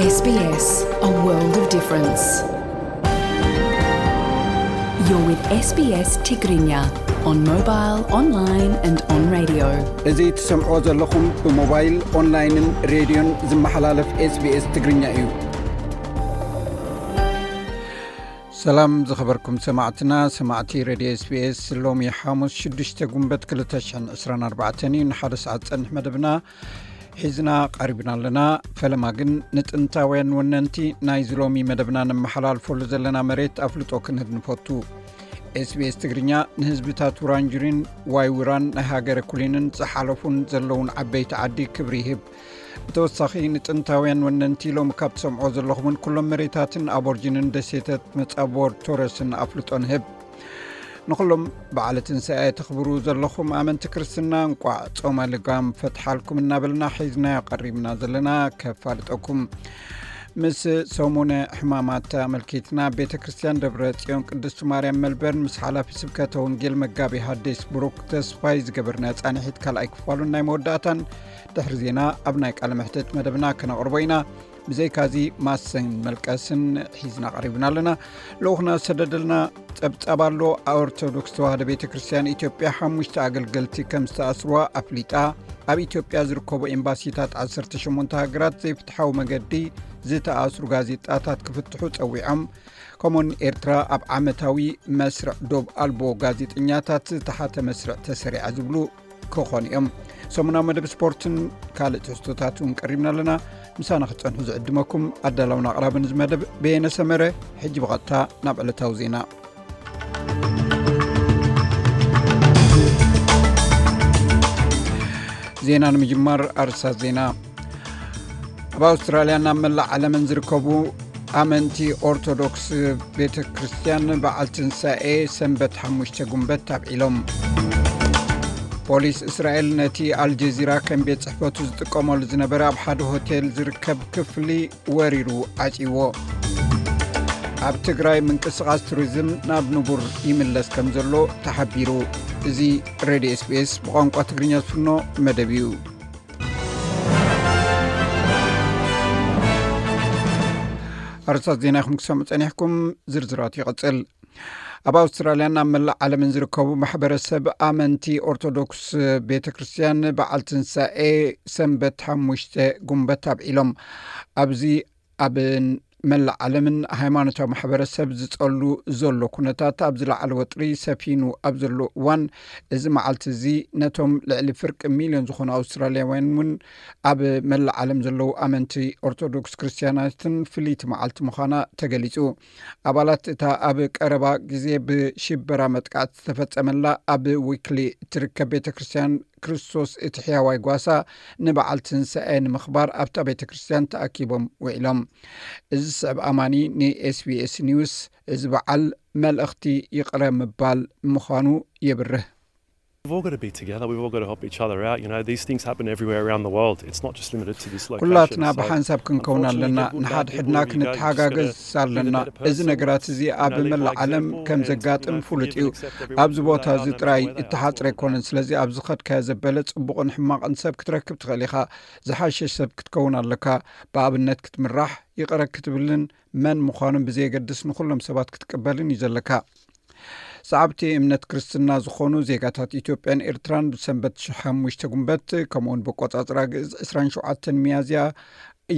S B S, a world of difference. You're with S B S Tigrinya on mobile, online and on radio. እዚ ትሰምዕዎ ዘለኹም ብሞባይል፣ ኦንላይንን ሬድዮን ዝመሓላለፍ SBS ትግርኛ እዩ። ሰላም ዝኸበርኩም ሰማዕትና፣ ሰማዕቲ ሬድዮ SBS፣ ሎሚ ሓሙስ ሽዱሽተ ጉንበት ክልተ ሽሕን ዕስራን ኣርባዕተን እዩ። ንሓደ ሰዓት ዝጸንሕ መደብና ሒዝና ቀሪብና ኣለና። ፈለማ ግን ንጥንታውያን ወነንቲ ናይዚ ሎሚ መደብና ነመሓላልፈሉ ዘለና መሬት ኣፍልጦ ክንህብ ንፈቱ። SBS ትግርኛ ንህዝብታት ውራንጁሪን ዋይ ውራን ናይ ሃገረ ኩሊንን ዝሓለፉን ዘለውን ዓበይቲ ዓዲ ክብሪ ይህብ። ብተወሳኺ ንጥንታውያን ወነንቲ ሎሚ ካብ ትሰምዖ ዘለኹምን ኩሎም መሬታትን ኣቦርጂንን ደሴታት መጻቦር ቶረስን ኣፍልጦ ንህብ። ንኹሎም በዓለ ትንሳኤ ተኽብሩ ዘለኹም ኣመንቲ ክርስትና እንቋዕ ጾመ ልጋም ፈትሓልኩም እናበልና ሒዝናዮ ቀሪብና ዘለና ከፋልጠኩም። ምስ ሰሙነ ሕማማት ኣመልኪትና ቤተ ክርስቲያን ደብረ ጽዮን ቅድስቲ ማርያም መልበርን ምስ ሓላፊ ስብከተ ወንጌል መጋቢ ሃዲስ ብሩክ ተስፋይ ዝገበርናዮ ጻንሒት ካልኣይ ክፋሉን ናይ መወዳእታን ድሕሪ ዜና ኣብ ናይ ቃለ መሕትት መደብና ክነቕርቦ ኢና። ብዘይካዚ ማሰን መልቀስን ሒዝና ቀሪብና ኣለና። ልኡኽና ዝሰደደልና ጸብጻብ ኣሎ። ኦርቶዶክስ ተዋህዶ ቤተ ክርስቲያን ኢትዮጵያ ሓሙሽተ ኣገልገልቲ ከም ዝተኣስርዋ ኣፍሊጣ። ኣብ ኢትዮጵያ ዝርከቡ ኤምባሲታት ዓሰርተ ሸሞንተ ሃገራት ዘይፍትሓዊ መገዲ ዝተኣስሩ ጋዜጣታት ክፍትሑ ጸዊዖም። ከምኡውን ኤርትራ ኣብ ዓመታዊ መስርዕ ዶብ ኣልቦ ጋዜጠኛታት ዝተሓተ መስርዕ ተሰሪዓ ዝብሉ ክኾኑ እዮም። ሰሙናዊ መደብ ስፖርትን ካልእ ትሕዝቶታት እውን ቀሪብና ኣለና። ምሳና ክትጸንሑ ዝዕድመኩም ኣዳላውን ኣቕራብን እዚ መደብ በየነ ሰመረ። ሕጂ ብቐጥታ ናብ ዕለታዊ ዜና። ዜና ንምጅማር ኣርእስታት ዜና። ኣብ ኣውስትራልያን ኣብ መላእ ዓለምን ዝርከቡ ኣመንቲ ኦርቶዶክስ ቤተ ክርስቲያን በዓል ትንሳኤ ሰንበት ሓሙሽተ ጉንበት ኣብዒሎም። ፖሊስ እስራኤል ነቲ ኣልጀዚራ ከም ቤት ጽሕፈቱ ዝጥቀመሉ ዝነበረ ኣብ ሓደ ሆቴል ዝርከብ ክፍሊ ወሪሩ ዓጽይዎ። ኣብ ትግራይ ምንቅስቓስ ቱሪዝም ናብ ንቡር ይምለስ ከም ዘሎ ተሓቢሩ። እዚ ሬድዮ SBS ብቋንቋ ትግርኛ ዝፍኖ መደብ እዩ። ኣርእስታት ዜና ኢኹም ክሰምዑ ጸኒሕኩም፣ ዝርዝራት ይቕጽል። ኣብ ኣውስትራልያን ኣብ መላእ ዓለምን ዝርከቡ ማሕበረሰብ ኣመንቲ ኦርቶዶክስ ቤተ ክርስቲያን በዓል ትንሳኤ ሰንበት ሓሙሽተ ጉንበት ኣብዒሎም። ኣብዚ ኣብ መላእ ዓለምን ሃይማኖታዊ ማሕበረሰብ ዝጸሉ ዘሎ ኩነታት ኣብ ዝለዓለ ወጥሪ ሰፊኑ ኣብ ዘሎ እዋን፣ እዚ መዓልቲ እዚ ነቶም ልዕሊ ፍርቂ ሚልዮን ዝኾኑ ኣውስትራልያውያን እውን ኣብ መላእ ዓለም ዘለዉ ኣመንቲ ኦርቶዶክስ ክርስትያናትን ፍልይቲ መዓልቲ ምዃና ተገሊጹ። ኣባላት እታ ኣብ ቀረባ ግዜ ብሽበራ መጥቃዕቲ ዝተፈጸመላ ኣብ ዊክሊ እትርከብ ቤተ ክርስቲያን ክርስቶስ እቲ ሕያዋይ ጓሳ ንበዓል ትንሳኤ ንምኽባር ኣብታ ቤተ ክርስቲያን ተኣኪቦም ውዒሎም። እዚ ዝስዕብ ኣማኒ ን SBS ኒውስ፣ እዚ በዓል መልእኽቲ ይቕረ ምባል ምዃኑ የብርህ። We've all got to be together. We've all got to help each other out. You know, these things happen everywhere around the world. It's not just limited to this location. ኩላትና ብሓንሳብ ክንከውን ኣለና። ንሓድሕድና ክንተሓጋገዝ ኣለና። እዚ ነገራት እዚ ኣብ መላእ ዓለም ከም ዘጋጥም ፍሉጥ እዩ። ኣብዚ ቦታ እዚ ጥራይ እተሓጽረ ኣይኮነን። ስለዚ ኣብዚ ዝኸድካዮ ዘበለ ጽቡቕን ሕማቕን ሰብ ክትረክብ ትኽእል ኢኻ። ዝሓሸ ሰብ ክትከውን ኣለካ። ብኣብነት ክትምራሕ፣ ይቕረ ክትብልን መን ምዃኑን ብዘየገድስ ንኹሎም ሰባት ክትቅበልን እዩ ዘለካ። ሰዓብቲ እምነት ክርስትና ዝኾኑ ዜጋታት ኢትዮጵያን ኤርትራን ብሰንበት ሓሙሽተ ጉንበት፣ ከምኡውን ብቆጻጽራ ግእዝ ዕስራን ሸውዓተን ሚያዝያ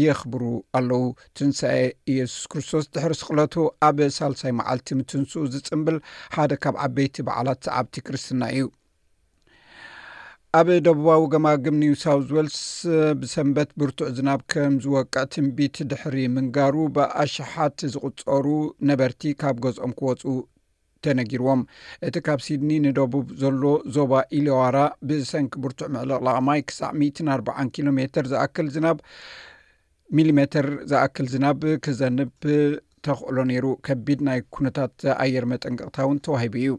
የኽብሩ ኣለዉ። ትንሳኤ ኢየሱስ ክርስቶስ ድሕሪ ስቕለቱ ኣብ ሳልሳይ መዓልቲ ምትንስኡ ዝጽንብል ሓደ ካብ ዓበይቲ በዓላት ሰዓብቲ ክርስትና እዩ። ኣብ ደቡባዊ ገማግም ኒው ሳውዝ ዌልስ ብሰንበት ብርቱዕ ዝናብ ከም ዝወቅዕ ትንቢት ድሕሪ ምንጋሩ፣ ብኣሽሓት ዝቑጸሩ ነበርቲ ካብ ገዝኦም ክወጹ ተነጊርዎም። እቲ ካብ ሲድኒ ንደቡብ ዘሎ ዞባ ኢሊዋራ ብሰንኪ ብርቱዕ ምዕልቕላቕ ማይ ክሳዕ ሚእትን ኣርባዓን ኪሎ ሜተር ዝኣክል ዝናብ፣ ሚሊሜተር ዝኣክል ዝናብ ክዘንብ ተኽእሎ ነይሩ። ከቢድ ናይ ኩነታት ኣየር መጠንቀቕታ እውን ተዋሂቡ እዩ።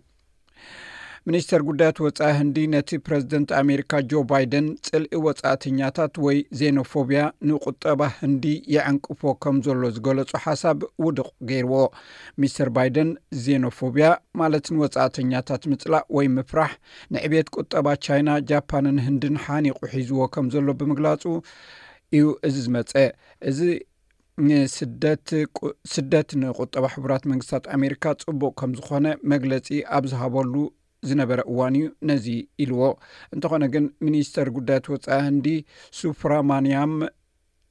ሚኒስተር ጉዳያት ወጻኢ ህንዲ ነቲ ፕረዚደንት ኣሜሪካ ጆ ባይደን ጽልኢ ወጻእተኛታት ወይ ዜኖፎብያ ንቁጠባ ህንዲ የዕንቅፎ ከም ዘሎ ዝገለጾ ሓሳብ ውድቕ ገይርዎ። ሚስተር ባይደን ዜኖፎብያ ማለት ንወጻእተኛታት ምጽላእ ወይ ምፍራሕ ንዕቤት ቁጠባ ቻይና፣ ጃፓንን ህንድን ሓኒቑ ሒዝዎ ከም ዘሎ ብምግላጹ እዩ እዚ ዝመጸ። እዚ ንስደት ቁ- ስደት ንቁጠባ ሕቡራት መንግስታት ኣሜሪካ ጽቡቕ ከም ዝኾነ መግለጺ ኣብ ዝሃበሉ ዝነበረ እዋን እዩ ነዚ ኢልዎ። እንተኾነ ግን፣ ሚኒስተር ጉዳያት ወጻኢ ህንዲ ሱፍራማንያም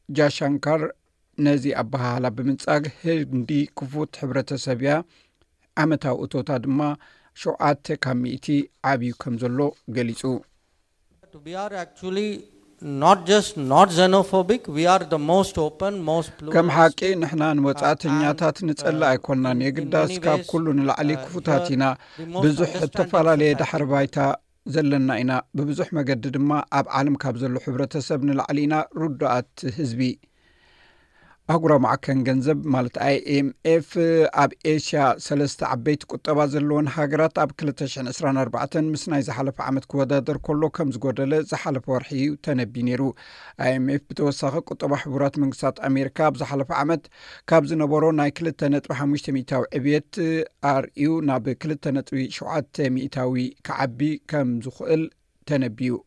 ጃሻንካር ነዚ ኣበሃህላ ብምንጻግ፣ ህንዲ ክፉት ሕብረተሰብ እያ፣ ዓመታዊ እቶታ ድማ ሸውዓተ ካብ ሚእቲ ዓብዩ ከም ዘሎ ገሊጹ። We are actually not just not xenophobic, we are the most open, most ከም pluralist. ሓቂ ንሕና ንወጻእተኛታት ንጸልእ ኣይኮንናን። የግዳስ ካብ ኩሉ ንላዕሊ ክፉታት ኢና። ብዙሕ እተፈላለየ ዳሕሪ ባይታ ዘለና ኢና። ብብዙሕ መገዲ ድማ ኣብ ዓለም ካብ ዘሎ ሕብረተሰብ ንላዕሊ ኢና ርዱኣት ህዝቢ። ኣህጉራዊ ማዕከን ገንዘብ ማለት ኣይኤምኤፍ ኣብ ኤሽያ ሰለስተ ዓበይቲ ቁጠባ ዘለወን ሃገራት ኣብ ክልተ ሽሕን ዕስራን ኣርባዕተን ምስ ናይ ዝሓለፈ ዓመት ክወዳደር ከሎ ከም ዝጎደለ ዝሓለፈ ወርሒ እዩ ተነቢዩ ነይሩ። ኣይኤምኤፍ ብተወሳኺ ቁጠባ ሕቡራት መንግስታት ኣሜሪካ ኣብ ዝሓለፈ ዓመት ካብ ዝነበሮ ናይ ክልተ ነጥቢ ሓሙሽተ ሚእታዊ ዕብየት ኣርእዩ ናብ ክልተ ነጥቢ ሸውዓተ ሚእታዊ ክዓቢ ከም ዝኽእል ተነቢዩ።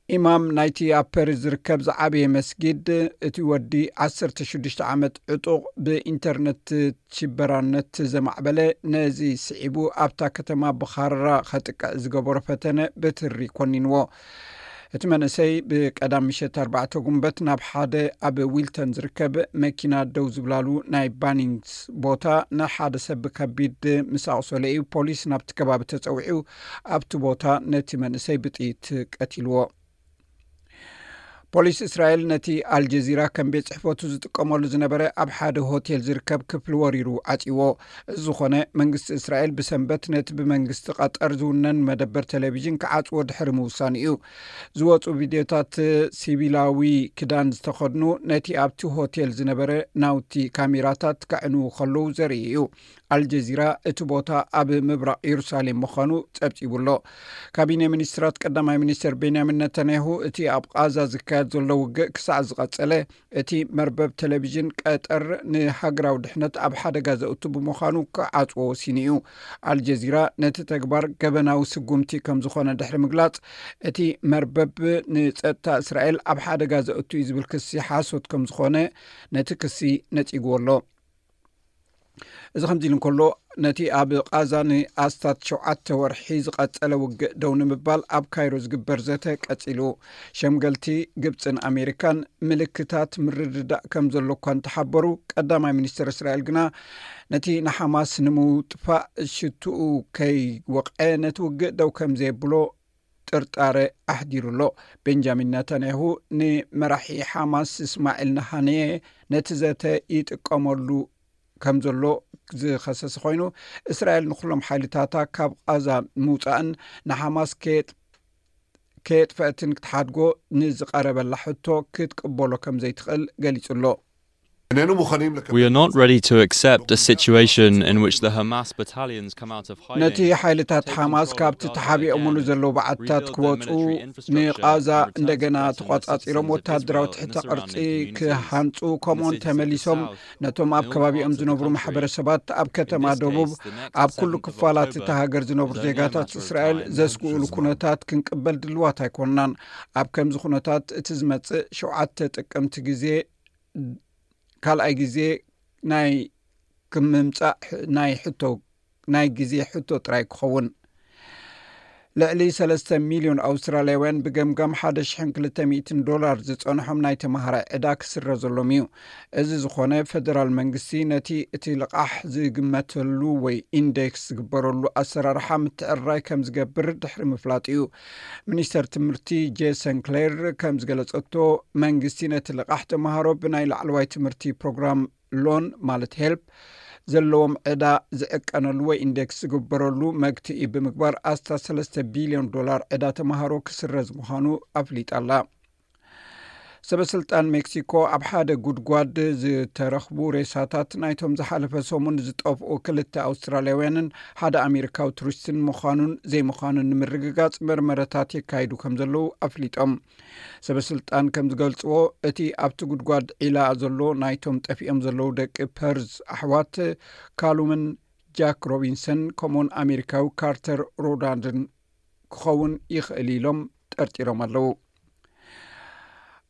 ኢማም ናይቲ ኣብ ፓሪስ ዝርከብ ዝዓበየ መስጊድ፣ እቲ ወዲ ዓሰርተ ሽዱሽተ ዓመት ዕጡቕ ብኢንተርነት ሽበራነት ዘማዕበለ፣ ነዚ ስዒቡ ኣብታ ከተማ ብኻራ ከጥቅዕ ዝገበሮ ፈተነ ብትሪ ኮኒንዎ። እቲ መንእሰይ ብቀዳም ምሸት ኣርባዕተ ጉንበት ናብ ሓደ ኣብ ዊልተን ዝርከብ መኪና ደው ዝብላሉ ናይ ባኒንግስ ቦታ ንሓደ ሰብ ብከቢድ ምስ ኣቑሰለ እዩ ፖሊስ ናብቲ ከባቢ ተጸዊዑ ኣብቲ ቦታ ነቲ መንእሰይ ብጥይት ቀቲልዎ። ፖሊስ እስራኤል ነቲ ኣልጀዚራ ከም ቤት ጽሕፈቱ ዝጥቀመሉ ዝነበረ ኣብ ሓደ ሆቴል ዝርከብ ክፍሊ ወሪሩ ዓጺዎ። እዚ ዝኾነ መንግስቲ እስራኤል ብሰንበት ነቲ ብመንግስቲ ቀጠር ዝውነን መደበር ቴሌቪዥን ክዓጽዎ ድሕሪ ምውሳኑ እዩ። ዝወጹ ቪድዮታት ሲቪላዊ ክዳን ዝተኸድኑ ነቲ ኣብቲ ሆቴል ዝነበረ ናውቲ ካሜራታት ከዕንዉ ከለዉ ዘርኢ እዩ። ኣልጀዚራ እቲ ቦታ ኣብ ምብራቕ የሩሳሌም ምዃኑ ጸብጺቡ ኣሎ። ካቢነ ሚኒስትራት ቀዳማይ ሚኒስትር ቤንያሚን ነታንያሁ እቲ ኣብ ቓዛ ዝካየድ ዘሎ ውግእ ክሳዕ ዝቐጸለ እቲ መርበብ ቴሌቪዥን ቀጠር ንሃገራዊ ድሕነት ኣብ ሓደጋ ዘእቱ ብምዃኑ ክዓጽዎ ወሲኑ እዩ። ኣልጀዚራ ነቲ ተግባር ገበናዊ ስጉምቲ ከም ዝኾነ ድሕሪ ምግላጽ፣ እቲ መርበብ ንጸጥታ እስራኤል ኣብ ሓደጋ ዘእቱ እዩ ዝብል ክሲ ሓሶት ከም ዝኾነ ነቲ ክሲ ነጺግዎ ኣሎ። እዚ ከምዚ ኢሉ እንከሎ፣ ነቲ ኣብ ቓዛ ንኣስታት ሸውዓተ ወርሒ ዝቐጸለ ውግእ ደው ንምባል ኣብ ካይሮ ዝግበር ዘተ ቀጺሉ። ሸምገልቲ ግብጽን ኣሜሪካን ምልክታት ምርድዳእ ከም ዘሎ እኳ እንተሓበሩ፣ ቀዳማይ ሚኒስትር እስራኤል ግና ነቲ ንሓማስ ንምውጥፋእ ሽትኡ ከይወቕዐ ነቲ ውግእ ደው ከም ዘየብሎ ጥርጣረ ኣሕዲሩ ኣሎ። ቤንጃሚን ናታንያሁ ንመራሒ ሓማስ እስማዒል ነሃንየ ነቲ ዘተ ይጥቀመሉ ከም ዘሎ ዝኸሰሰ ኮይኑ፣ እስራኤል ንኩሎም ሓይልታታ ካብ ቓዛ ምውጻእን ንሓማስ ከየጥ- ከየጥፈእትን ክትሓድጎ ንዝቐረበላ ሕቶ ክትቅበሎ ከም ዘይትኽእል ገሊጹ ኣሎ። איננו מוכנים לקבל We are not ready to accept a situation in which the Hamas battalions come out of hiding. ነቲ ሓይልታት ሓማስ ካብቲ ተሓቢኦምሉ ዘለዉ በዓትታት ክወፁ፣ ንቓዛ እንደገና ተቖጻጺሮም ወታደራዊ ትሕተ ቅርጺ ክሃንጹ፣ ከምኡውን ተመሊሶም ነቶም ኣብ ከባቢኦም ዝነብሩ ማሕበረሰባት ኣብ ከተማ ደቡብ ኣብ ኩሉ ክፋላት እታ ሃገር ዝነብሩ ዜጋታት እስራኤል ዘስግኡሉ ኩነታት ክንቅበል ድልዋት ኣይኮንናን። ኣብ ከምዚ ኩነታት እቲ ዝመጽእ ሸውዓተ ጥቅምቲ ግዜ ካልኣይ ግዜ ናይ ክምምጻእ ናይ ሕቶ ናይ ግዜ ሕቶ ጥራይ ክኸውን። ልዕሊ ሰለስተ ሚልዮን ኣውስትራልያውያን ብገምጋም ሓደ ሽሕን ክልተ ሚእትን ዶላር ዝጸንሖም ናይ ተማሃራይ ዕዳ ክስረዘሎም እዩ። እዚ ዝኾነ ፈደራል መንግስቲ ነቲ እቲ ልቓሕ ዝግመተሉ ወይ ኢንዴክስ ዝግበረሉ ኣሰራርሓ ምትዕርራይ ከም ዝገብር ድሕሪ ምፍላጥ እዩ። ሚኒስተር ትምህርቲ ጄሰን ክሌር ከም ዝገለጸቶ መንግስቲ ነቲ ልቓሕ ተማሃሮ ብናይ ላዕለዋይ ትምህርቲ ፕሮግራም ሎን ማለት ሄልፕ ዘለዎም ዕዳ ዝዕቀነሉ ወይ ኢንዴክስ ዝግበረሉ መግትኢ ብምግባር ኣስታት ሰለስተ ቢልዮን ዶላር ዕዳ ተምሃሮ ክስረዝ ምዃኑ ኣፍሊጣ ኣላ። ሰበስልጣን ሜክሲኮ ኣብ ሓደ ጉድጓድ ዝተረኽቡ ሬሳታት ናይቶም ዝሓለፈ ሰሙን ዝጠፍኡ ክልተ ኣውስትራልያውያንን ሓደ ኣሜሪካዊ ቱሪስትን ምዃኑን ዘይምዃኑን ንምርግጋጽ መርመረታት የካይዱ ከም ዘለዉ ኣፍሊጦም። ሰበስልጣን ከም ዝገልጽዎ እቲ ኣብቲ ጉድጓድ ዒላ ዘሎ ናይቶም ጠፊኦም ዘለዉ ደቂ ፐርዝ ኣሕዋት ካሉምን ጃክ ሮቢንሰን ከምኡውን ኣሜሪካዊ ካርተር ሮዳንድን ክኸውን ይኽእል ኢሎም ጠርጢሮም ኣለዉ።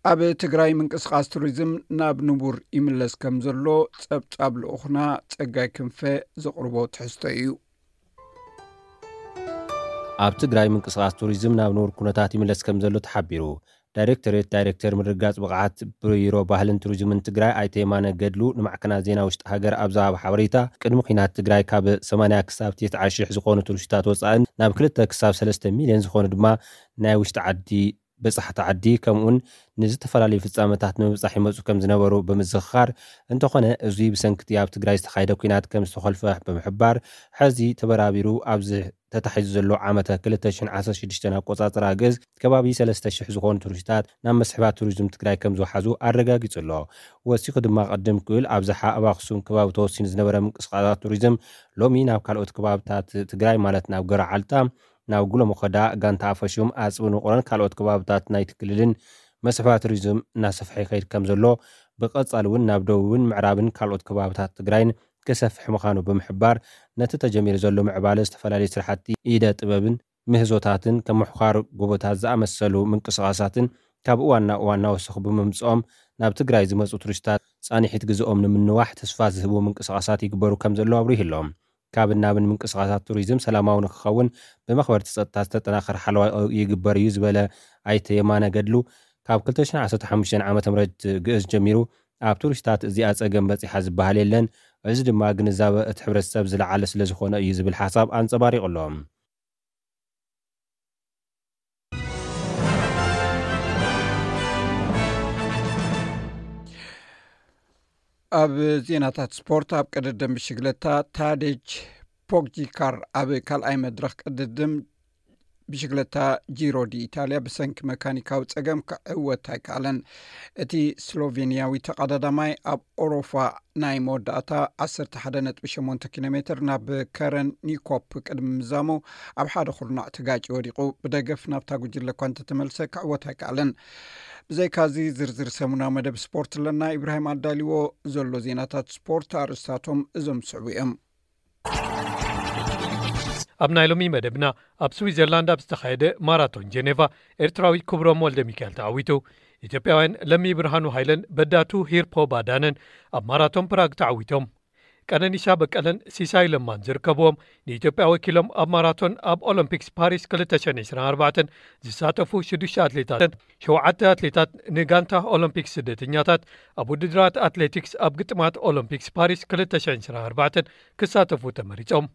ኣብ ትግራይ ምንቅስቓስ ቱሪዝም ናብ ንቡር ይምለስ ከም ዘሎ ጸብጻብ ልኡኽና ጸጋይ ክንፈ ዘቕርቦ ትሕዝቶ እዩ። ኣብ ትግራይ ምንቅስቓስ ቱሪዝም ናብ ንቡር ኩነታት ይምለስ ከም ዘሎ ተሓቢሩ። ዳይሬክቶሬት ዳይሬክተር ምርግጋፅ ብቕዓት ቢሮ ባህልን ቱሪዝምን ትግራይ ኣይተ የማነ ገድሉ ንማዕከናት ዜና ውሽጢ ሃገር ኣብ ዝሃቦ ሓበሬታ፣ ቅድሚ ኲናት ትግራይ ካብ ሰማንያ ክሳብ ትስዓ ሺሕ ዝኾኑ ቱሪስታት ወፃእን ናብ ክልተ ክሳብ ሰለስተ ሚልዮን ዝኾኑ ድማ ናይ ውሽጢ ዓዲ በፃሕቲ ዓዲ ከምኡውን ንዝተፈላለዩ ፍፃመታት ንምብፃሕ ይመፁ ከም ዝነበሩ ብምዝኽኻር፣ እንተኾነ እዚ ብሰንክቲ ኣብ ትግራይ ዝተኻየደ ኲናት ከም ዝተኾልፈ ብምሕባር፣ ሕዚ ተበራቢሩ ኣብዚ ተታሒዙ ዘሎ ዓመተ ክልተ ሽሕን ዓሰርተ ሽዱሽተን ኣቆፃፅራ ግእዝ ከባቢ ሰለስተ ሽሕ ዝኾኑ ቱሪስታት ናብ መስሕባት ቱሪዝም ትግራይ ከም ዝወሓዙ ኣረጋጊፁ ኣሎ። ወሲኹ ድማ ቅድም ክብል ኣብዝሓ ኣብ ኣኽሱም ከባቢ ተወሲኑ ዝነበረ ምንቅስቃሳት ቱሪዝም ሎሚ ናብ ካልኦት ከባብታት ትግራይ ማለት ናብ ገረዓልታ፣ ናብ ጉለመኸዳ፣ ጋንታ ኣፈሹም፣ ኣፅቢ ንቑረን ካልኦት ከባብታት ናይቲ ክልልን መስሕባት ቱሪዝም እናሰፍሐ ይኸይድ ከም ዘሎ፣ ብቐፃሊ እውን ናብ ደቡብን ምዕራብን ካልኦት ከባብታት ትግራይን ክሰፍሕ ምዃኑ ብምሕባር፣ ነቲ ተጀሚሩ ዘሎ ምዕባለ ዝተፈላለዩ ስራሕቲ ኢደ ጥበብን ምህዞታትን ከም ምሕዃር ጎቦታት ዝኣመሰሉ ምንቅስቓሳትን ካብ እዋን ናብ እዋን እናወሰኹ ብምምፅኦም ናብ ትግራይ ዝመፁ ቱሪስታት ፃንሒት ግዝኦም ንምንዋሕ ተስፋ ዝህቡ ምንቅስቓሳት ይግበሩ ከም ዘለዉ ኣብሪሁ ኣሎ። ካብ ናብን ምንቅስቓሳት ቱሪዝም ሰላማዊ ንክኸውን ብመኽበርቲ ፀጥታ ዝተጠናኸረ ሓለዋ ይግበር እዩ ዝበለ ኣይተ የማነ ገድሉ፣ ካብ ክልተ ሽሕን ዓሰርተ ሓሙሽተን ዓመተ ምህረት ግእዝ ጀሚሩ ኣብ ቱሪስታት እዚኣ ፀገም በፂሓ ዝበሃል የለን። እዚ ድማ ግንዛበ እቲ ሕብረተሰብ ዝለዓለ ስለ ዝኾነ እዩ ዝብል ሓሳብ ኣንፀባሪቑ ኣሎ። ኣብ ዜናታት ስፖርት፣ ኣብ ቅድድም ብሽግለታ ታዴጅ ፖግጂካር ኣብ ካልኣይ መድረኽ ቅድድም ብሽግለታ ጂሮ ዲ ኢታልያ ብሰንኪ መካኒካዊ ጸገም ክዕወት ኣይከኣለን። እቲ ስሎቬንያዊ ተቐዳዳማይ ኣብ ኦሮፋ ናይ መወዳእታ ዓሰርተ ሓደ ነጥቢ ሸሞንተ ኪሎ ሜትር ናብ ከረን ኒኮፕ ቅድሚ ምዛሙ ኣብ ሓደ ኩርናዕ ተጋጭ ወዲቑ ብደገፍ ናብታ ጉጅለ እኳ እንተተመልሰ ክዕወት ኣይከኣለን። ብዘይካዚ ዝርዝር ሰሙናዊ መደብ ስፖርት ኣለና። ኢብራሂም ኣዳልዎ ዘሎ ዜናታት ስፖርት ኣርእስታቶም እዞም ዝስዕቡ እዮም። ኣብ ናይ ሎሚ መደብና፣ ኣብ ስዊዘርላንድ ኣብ ዝተኻየደ ማራቶን ጀኔቫ ኤርትራዊ ክብሮም ወልደ ሚካኤል ተዓዊቱ። ኢትዮጵያውያን ለሚ ብርሃኑ ሃይለን በዳቱ ሂርፖ ባዳነን ኣብ ማራቶን ፕራግ ተዓዊቶም። ቀነኒሳ በቀለን ሲሳይ ለማን ዝርከብዎም ንኢትዮጵያ ወኪሎም ኣብ ማራቶን ኣብ ኦሎምፒክስ ፓሪስ ክልተ ሽሕን ዕስራን ኣርባዕተን ዝሳተፉ ሽዱሽተ ኣትሌታትን ሸውዓተ ኣትሌታት ንጋንታ ኦሎምፒክስ ስደተኛታት ኣብ ውድድራት ኣትሌቲክስ ኣብ ግጥማት ኦሎምፒክስ ፓሪስ ክልተ ሽሕን ዕስራን ኣርባዕተን ክሳተፉ ተመሪጾም።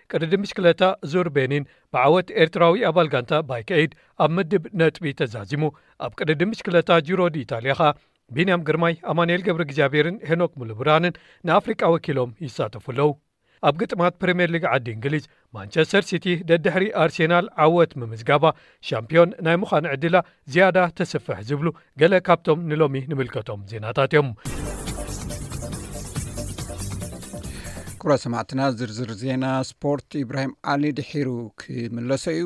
ቅድድም ብሽክለታ ዙር ቤኒን ብዓወት ኤርትራዊ ኣባል ጋንታ ባይክ ኤይድ ኣብ ምድብ ነጥቢ ተዛዚሙ። ኣብ ቅድድም ብሽክለታ ጂሮ ዲ ኢታልያ ኸኣ ቢንያም ግርማይ፣ ኣማኑኤል ገብረ እግዚኣብሔርን ሄኖክ ሙሉብርሃንን ንኣፍሪቃ ወኪሎም ይሳተፉ ኣለዉ። ኣብ ግጥማት ፕሪምየር ሊግ ዓዲ እንግሊዝ፣ ማንቸስተር ሲቲ ደድሕሪ ኣርሴናል ዓወት ምምዝጋባ፣ ሻምፒዮን ናይ ምዃን ዕድላ ዝያዳ ተስፍሕ ዝብሉ ገለ ካብቶም ንሎሚ ንምልከቶም ዜናታት እዮም። ክቡራት ሰማዕትና፣ ዝርዝር ዜና ስፖርት ኢብራሂም ዓሊ ድሒሩ ክምለሶ እዩ።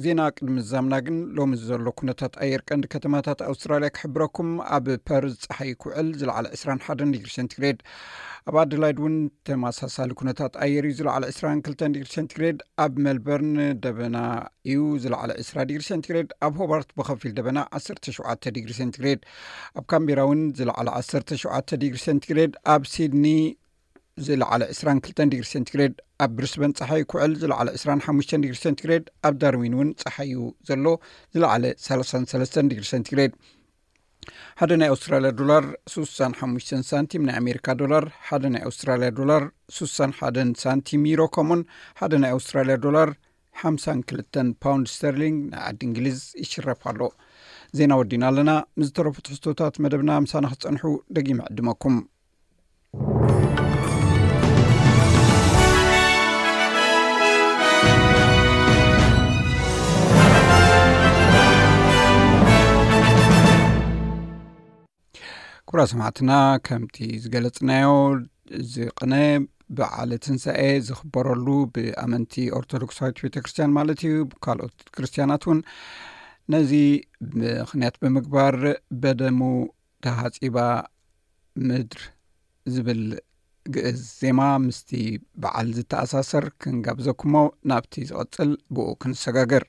ዜና ቅድሚ ምዛምና ግን፣ ሎሚ ዘሎ ኩነታት ኣየር ቀንዲ ከተማታት ኣውስትራልያ ክሕብረኩም። ኣብ ፐርዝ ጸሓይ ክውዕል፣ ዝለዓለ ዕስራን ሓደን ዲግሪ ሴንቲግሬድ። ኣብ ኣደላይድ እውን ተመሳሳሊ ኩነታት ኣየር እዩ፣ ዝለዓለ ዕስራን ክልተን ዲግሪ ሴንቲግሬድ። ኣብ ሜልበርን ደበና እዩ፣ ዝለዓለ ዕስራ ዲግሪ ሴንቲግሬድ። ኣብ ሆባርት ብኸፊል ደበና፣ ዓሰርተ ሸውዓተ ዲግሪ ሴንቲግሬድ። ኣብ ካምቤራ እውን ዝለዓለ ዓሰርተ ሸውዓተ ዲግሪ ሴንቲግሬድ። ኣብ ሲድኒ ዝለዓለ ዕስራን ክልተን ዲግሪ ሴንቲግሬድ። ኣብ ብሪስበን ጸሓይ ክውዕል፣ ዝለዓለ ዕስራን ሓሙሽተን ዲግሪ ሴንቲግሬድ። ኣብ ዳርዊን እውን ጸሓይ እዩ ዘሎ፣ ዝለዓለ ሰላሳን ሰለስተን ዲግሪ ሴንቲግሬድ። ሓደ ናይ ኣውስትራልያ ዶላር ሱሳን ሓሙሽተን ሳንቲም፣ ናይ ኣሜሪካ ዶላር ሓደ ናይ ኣውስትራልያ ዶላር ሱሳን ሓደን ሳንቲም፣ ዩሮ ከምኡን ሓደ ናይ ኣውስትራልያ ዶላር ሓምሳን ክልተን ፓውንድ ስተርሊንግ ናይ ዓዲ እንግሊዝ ይሽረፍ ኣሎ። ዜና ወዲና ኣለና። ምስ ዝተረፉ ትሕዝቶታት መደብና ምሳና ክትጸንሑ ደጊመ ዕድመኩም። ክቡራት ሰማዕትና፣ ከምቲ ዝገለጽናዮ፣ እዚ ቅነ በዓለ ትንሳኤ ዝኽበረሉ ብኣመንቲ ኦርቶዶክሳዊት ቤተ ክርስቲያን ማለት እዩ፣ ካልኦት ክርስቲያናት እውን ነዚ ምኽንያት ብምግባር በደሙ ተሃጺባ ምድር ዝብል ግእዝ ዜማ ምስቲ በዓል ዝተኣሳሰር ክንጋብዘኩሞ ናብቲ ዝቐጽል ብኡ ክንሰጋገር።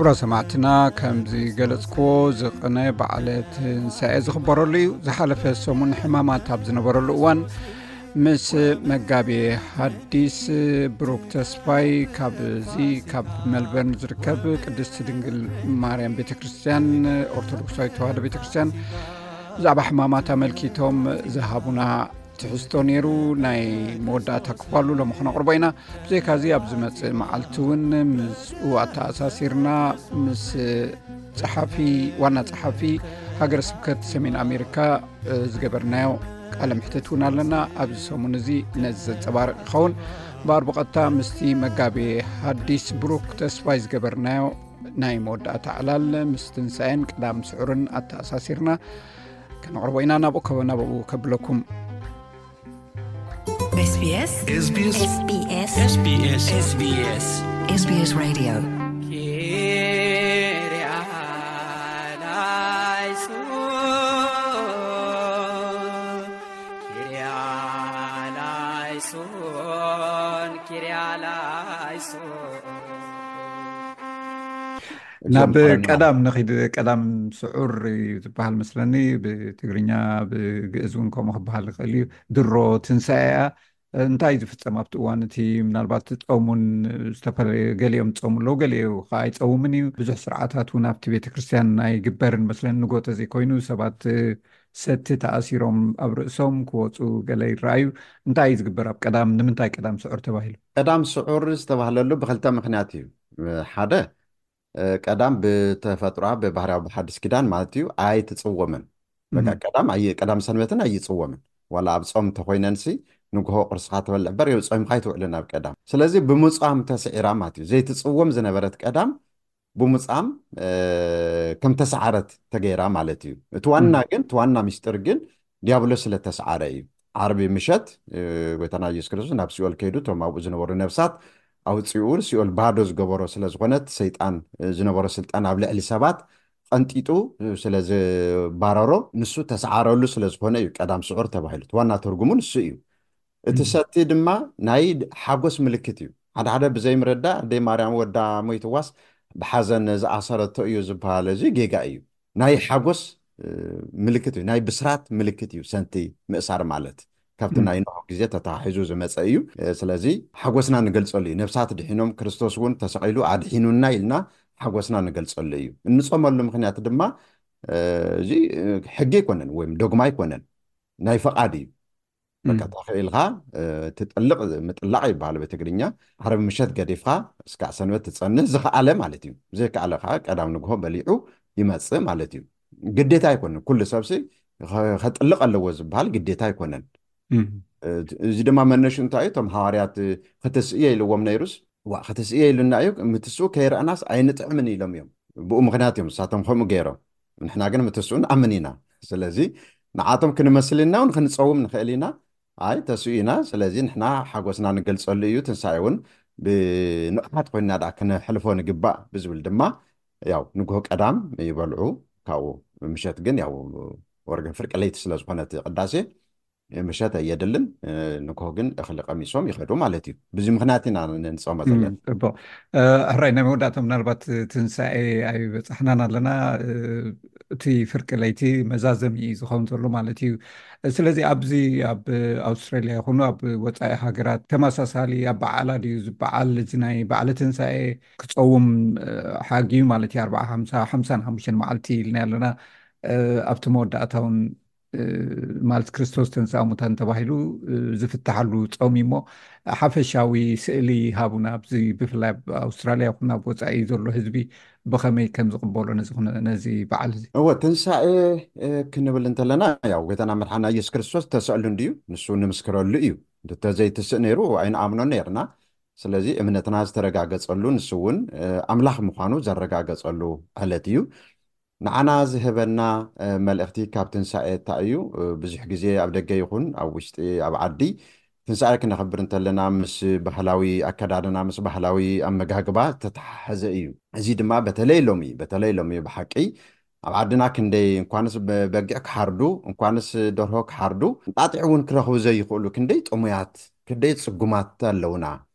ክቡራ ሰማዕትና፣ ከም ዝገለጽክዎ፣ ዝቕነ በዓለ ትንሳኤ ዝኽበረሉ እዩ። ዝሓለፈ ሰሙን ሕማማት ኣብ ዝነበረሉ እዋን፣ ምስ መጋቤ ሐዲስ ብሩክ ተስፋይ፣ ካብዚ ካብ መልበርን ዝርከብ ቅድስቲ ድንግል ማርያም ቤተ ክርስቲያን፣ ኦርቶዶክሳዊት ተዋህዶ ቤተ ክርስቲያን፣ ብዛዕባ ሕማማት ኣመልኪቶም ዝሃቡና ትሕዝቶ ነይሩ። ናይ መወዳእታ ክፋሉ ሎሚ ክነቕርቦ ኢና። ብዘይካዚ፣ ኣብ ዝመጽእ መዓልቲ እውን ምስኡ ኣተኣሳሲርና ምስ ጸሓፊ፣ ዋና ጸሓፊ ሃገረ ስብከት ሰሜን ኣሜሪካ፣ እ፣ ዝገበርናዮ ቃለ ምሕትት እውን ኣለና። ኣብዚ ሰሙን እዚ ነዚ ዘንጸባርቕ ይኸውን። እምበኣር፣ ብቐጥታ ምስቲ መጋቤ ሐዲስ ብሩክ ተስፋይ ዝገበርናዮ ናይ መወዳእታ ዕላል ምስ ትንሳኤን ቀዳም ስዑርን ኣተኣሳሲርና ከነቕርቦ ኢና። ናብኡ ከ-፣ ናብኡ ከብለኩም። SBS SBS SBS SBS SBS SBS Radio. Kyria eleison, Kyria eleison, Kyria eleison. ናብ ቀዳም ንኺድ። ቀዳም ስዑር እዩ ዝበሃል መስለኒ፣ ብትግርኛ፣ ብግእዝ እውን ከምኡ ክበሃል ይኽእል እዩ። ድሮ ትንሳኤ እያ። እንታይ ዝፍጸም ኣብቲ እዋን እቲ? ምናልባት ጾሙን ዝተፈላለየ፣ ገሊኦም ጾሙ ኣለዉ፣ ገሊኡ ኸዓ ኣይጸውምን እዩ። ብዙሕ ስርዓታት እውን ኣብቲ ቤተ ክርስቲያን ኣይግበርን መስለኒ። ንጎ ተዘይኮይኑ ሰባት ሰቲ ተኣሲሮም ኣብ ርእሶም ክወጹ ገለ ይረኣዩ። እንታይ እዩ ዝግበር ኣብ ቀዳም? ንምንታይ ቀዳም ስዑር ተባሂሉ? ቀዳም ስዑር ዝተባህለሉ ብኽልተ ምኽንያት እዩ። ሓደ፣ እ፣ ቀዳም ብተፈጥሮኣ ብባህርያዊ ብሓድሽ ኪዳን ማለት እዩ ኣይትጽወምን። በቃ ቀዳም ኣይ-፣ ቀዳም ሰንበትን ኣይጽወምን። ዋላ ኣብ ጾም እንተኾይነንሲ ንግሆ ቁርስኻ ትበልዕ እምበር ጾምካ ኣይትውዕልን ኣብ ቀዳም። ስለዚ ብምጻም ተስዒራ ማለት እዩ። ዘይትጽወም ዝነበረት ቀዳም ብምጻም፣ እ፣ ከም ተሰዓረት ተገይራ ማለት እዩ። እቲ ዋና ግን፣ እቲ ዋና ምስጢር ግን ዲያብሎስ ስለ ተሰዓረ እዩ። ዓርቢ ምሸት፣ እ፣ ጎይታና ኢየሱስ ክርስቶስ ናብ ሲኦል ከይዱ እቶም ኣብኡ ዝነበሩ ነፍሳት ኣውጺኡ፣ ሲኦል ባዶ ዝገበሮ ስለ ዝኾነት፣ ሰይጣን፣ እ፣ ዝነበሮ ስልጣን ኣብ ልዕሊ ሰባት ቀንጢጡ፣ እ፣ ስለ ዝባረሮ፣ ንሱ ተሰዓረሉ ስለ ዝኾነ እዩ ቀዳም ስዑር ተባሂሉ። እቲ ዋና ትርጉሙ ንሱ እዩ። እቲ ሰቲ ድማ ናይ ሓጎስ ምልክት እዩ። ሓደ ሓደ ብዘይምርዳእ፣ ኣደይ ማርያም ወዳ ሞይትዋስ ብሓዘን ዝኣሰረቶ እዩ ዝበሃል፣ እዚ ጌጋ እዩ። ናይ ሓጎስ፣ እ፣ ምልክት እዩ፣ ናይ ብስራት ምልክት እዩ ሰቲ ምእሳር ማለት። ካብቲ ናይ ኖህ ግዜ ተተሓሒዙ ዝመጸ እዩ። እ፣ ስለዚ ሓጎስና ንገልጸሉ እዩ። ነፍሳት ድሒኖም፣ ክርስቶስ እውን ተሰቒሉ ኣድሒኑና ኢልና ሓጎስና ንገልጸሉ እዩ። እንጾመሉ ምኽንያት ድማ፣ እ፣ እዚ፣ እ፣ ሕጊ ኣይኮነን ወይም ዶግማ ኣይኮነን፣ ናይ ፈቓድ እዩ። በቃ ተኽኢልካ፣ እ፣ ትጥልቕ፣ ምጥላቕ ይበሃል ብትግርኛ። ዓርቢ ምሸት ገዲፍካ እስካዕ ሰንበት ትጸንህ ዝኸኣለ ማለት እዩ። ዘይከኣለ ከዓ ቀዳም ንግሆ በሊዑ ይመጽእ ማለት እዩ። ግዴታ ኣይኮነን። ኩሉ ሰብሲ ከ-፣ ከጥልቕ ኣለዎ ዝበሃል ግዴታ ኣይኮነን። እም። እ፣ እዚ ድማ መነሹ እንታይ እዩ? እቶም ሃዋርያት፣ እ፣ ክትስእዮ ኢልዎም ነይሩስ፣ ዋ፣ ክትስእዮ ኢሉና እዩ፣ ምትስኡ ከይረኣናስ ኣይንጥዕምን ኢሎም እዮም። ብኡ ምኽንያት እዮም እሳቶም ከምኡ ገይሮም። ንሕና ግን ምትስኡ ንኣምን ኢና። ስለዚ ንዓቶም ክንመስል ኢና እውን ክንጸውም ንኽእል ኢና። ኣይ፣ ተስኡ ኢና። ስለዚ ንሕና ሓጎስና ንገልጸሉ እዩ። ትንሳኤ እውን ብንቕሓት ኮይንና ደኣ ክነሕልፎ ንግባእ ብዝብል ድማ፣ ያው፣ ንግሆ ቀዳም ይበልዑ። ካብኡ ምሸት ግን፣ ያው፣ ወርገን ፍርቂ ለይቲ ስለ ዝኾነ እቲ ቅዳሴ፣ ምሸት ኣየድልን። ንግሆ ግን እኽሊ ቀሚሶም ይኸዱ ማለት እዩ። ብዚ ምኽንያት ኢና ንጾመ እም፣ ዘለና። ጽቡቕ። እ፣ ሕራይ፣ ናይ መወዳእታ ምናልባት ትንሳኤ ኣይበጻሕናን ኣለና። እ፣ እቲ ፍርቂ ለይቲ መዛዘሚ እዩ ዝኸውን ዘሎ ማለት እዩ። ስለዚ ኣብዚ ኣብ ኣውስትራልያ ይኹኑ ኣብ ወጻኢ ሃገራት ተመሳሳሊ ኣበዓዕላ ድዩ ዝበዓል? እዚ ናይ በዓለ ትንሳኤ ክጸውም፣ እ፣ ሓጊ ማለት እዩ፣ ኣርብዓ፣ ሓምሳ፣ ሓምሳን ሓሙሽተን መዓልቲ ኢልና ኣለና። እ፣ ኣብቲ መወዳእታ እውን፣ እ፣ ማለት ክርስቶስ ተንሥአ እሙታን ተባሂሉ፣ እ፣ ዝፍትሓሉ ጾም እዩ እሞ፣ ሓፈሻዊ ስእሊ ሃቡና። ኣብዚ ብፍላይ ኣብ ኣውስትራልያ ይኹን ኣብ ወጻኢ ዘሎ ህዝቢ ብኸመይ ከም ዝቕበሎ ነዚ ኩነ-፣ ነዚ በዓል እዚ? እወ፣ ትንሳኤ፣ እ፣ ክንብል እንተለና፣ ያው፣ ጎይታና መድሓና ኢየሱስ ክርስቶስ ተሰቕሉ እንድዩ፣ ንሱ ንምስክረሉ እዩ። እንተዘይትስእ ነይሩ፣ ኣይንኣምኖን ነይርና። ስለዚ እምነትና ዝተረጋገጸሉ፣ ንሱ እውን፣ እ፣ ኣምላኽ ምዃኑ ዘረጋገጸሉ ዕለት እዩ። ንዓና ዝህበና፣ እ፣ መልእኽቲ ካብ ትንሳኤ እንታይ እዩ? እ፣ ብዙሕ ግዜ ኣብ ደገ ይኹን ኣብ ውሽጢ፣ ኣብ ዓዲ፣ ትንሳኤ ክነኽብር እንተለና ምስ ባህላዊ ኣከዳድና፣ ምስ ባህላዊ ኣመጋግባ ዝተተሓሓዘ እዩ። እዚ ድማ በተለይ ሎሚ፣ በተለይ ሎሚ ብሓቂ ኣብ ዓድና ክንደይ እንኳንስ በ-፣ በጊዕ ክሓርዱ፣ እንኳንስ ደርሆ ክሓርዱ፣ እንጣጢዕ እውን ክረኽቡ ዘይኽእሉ ክንደይ ጥሙያት፣ ክንደይ ጽጉማት ኣለውና።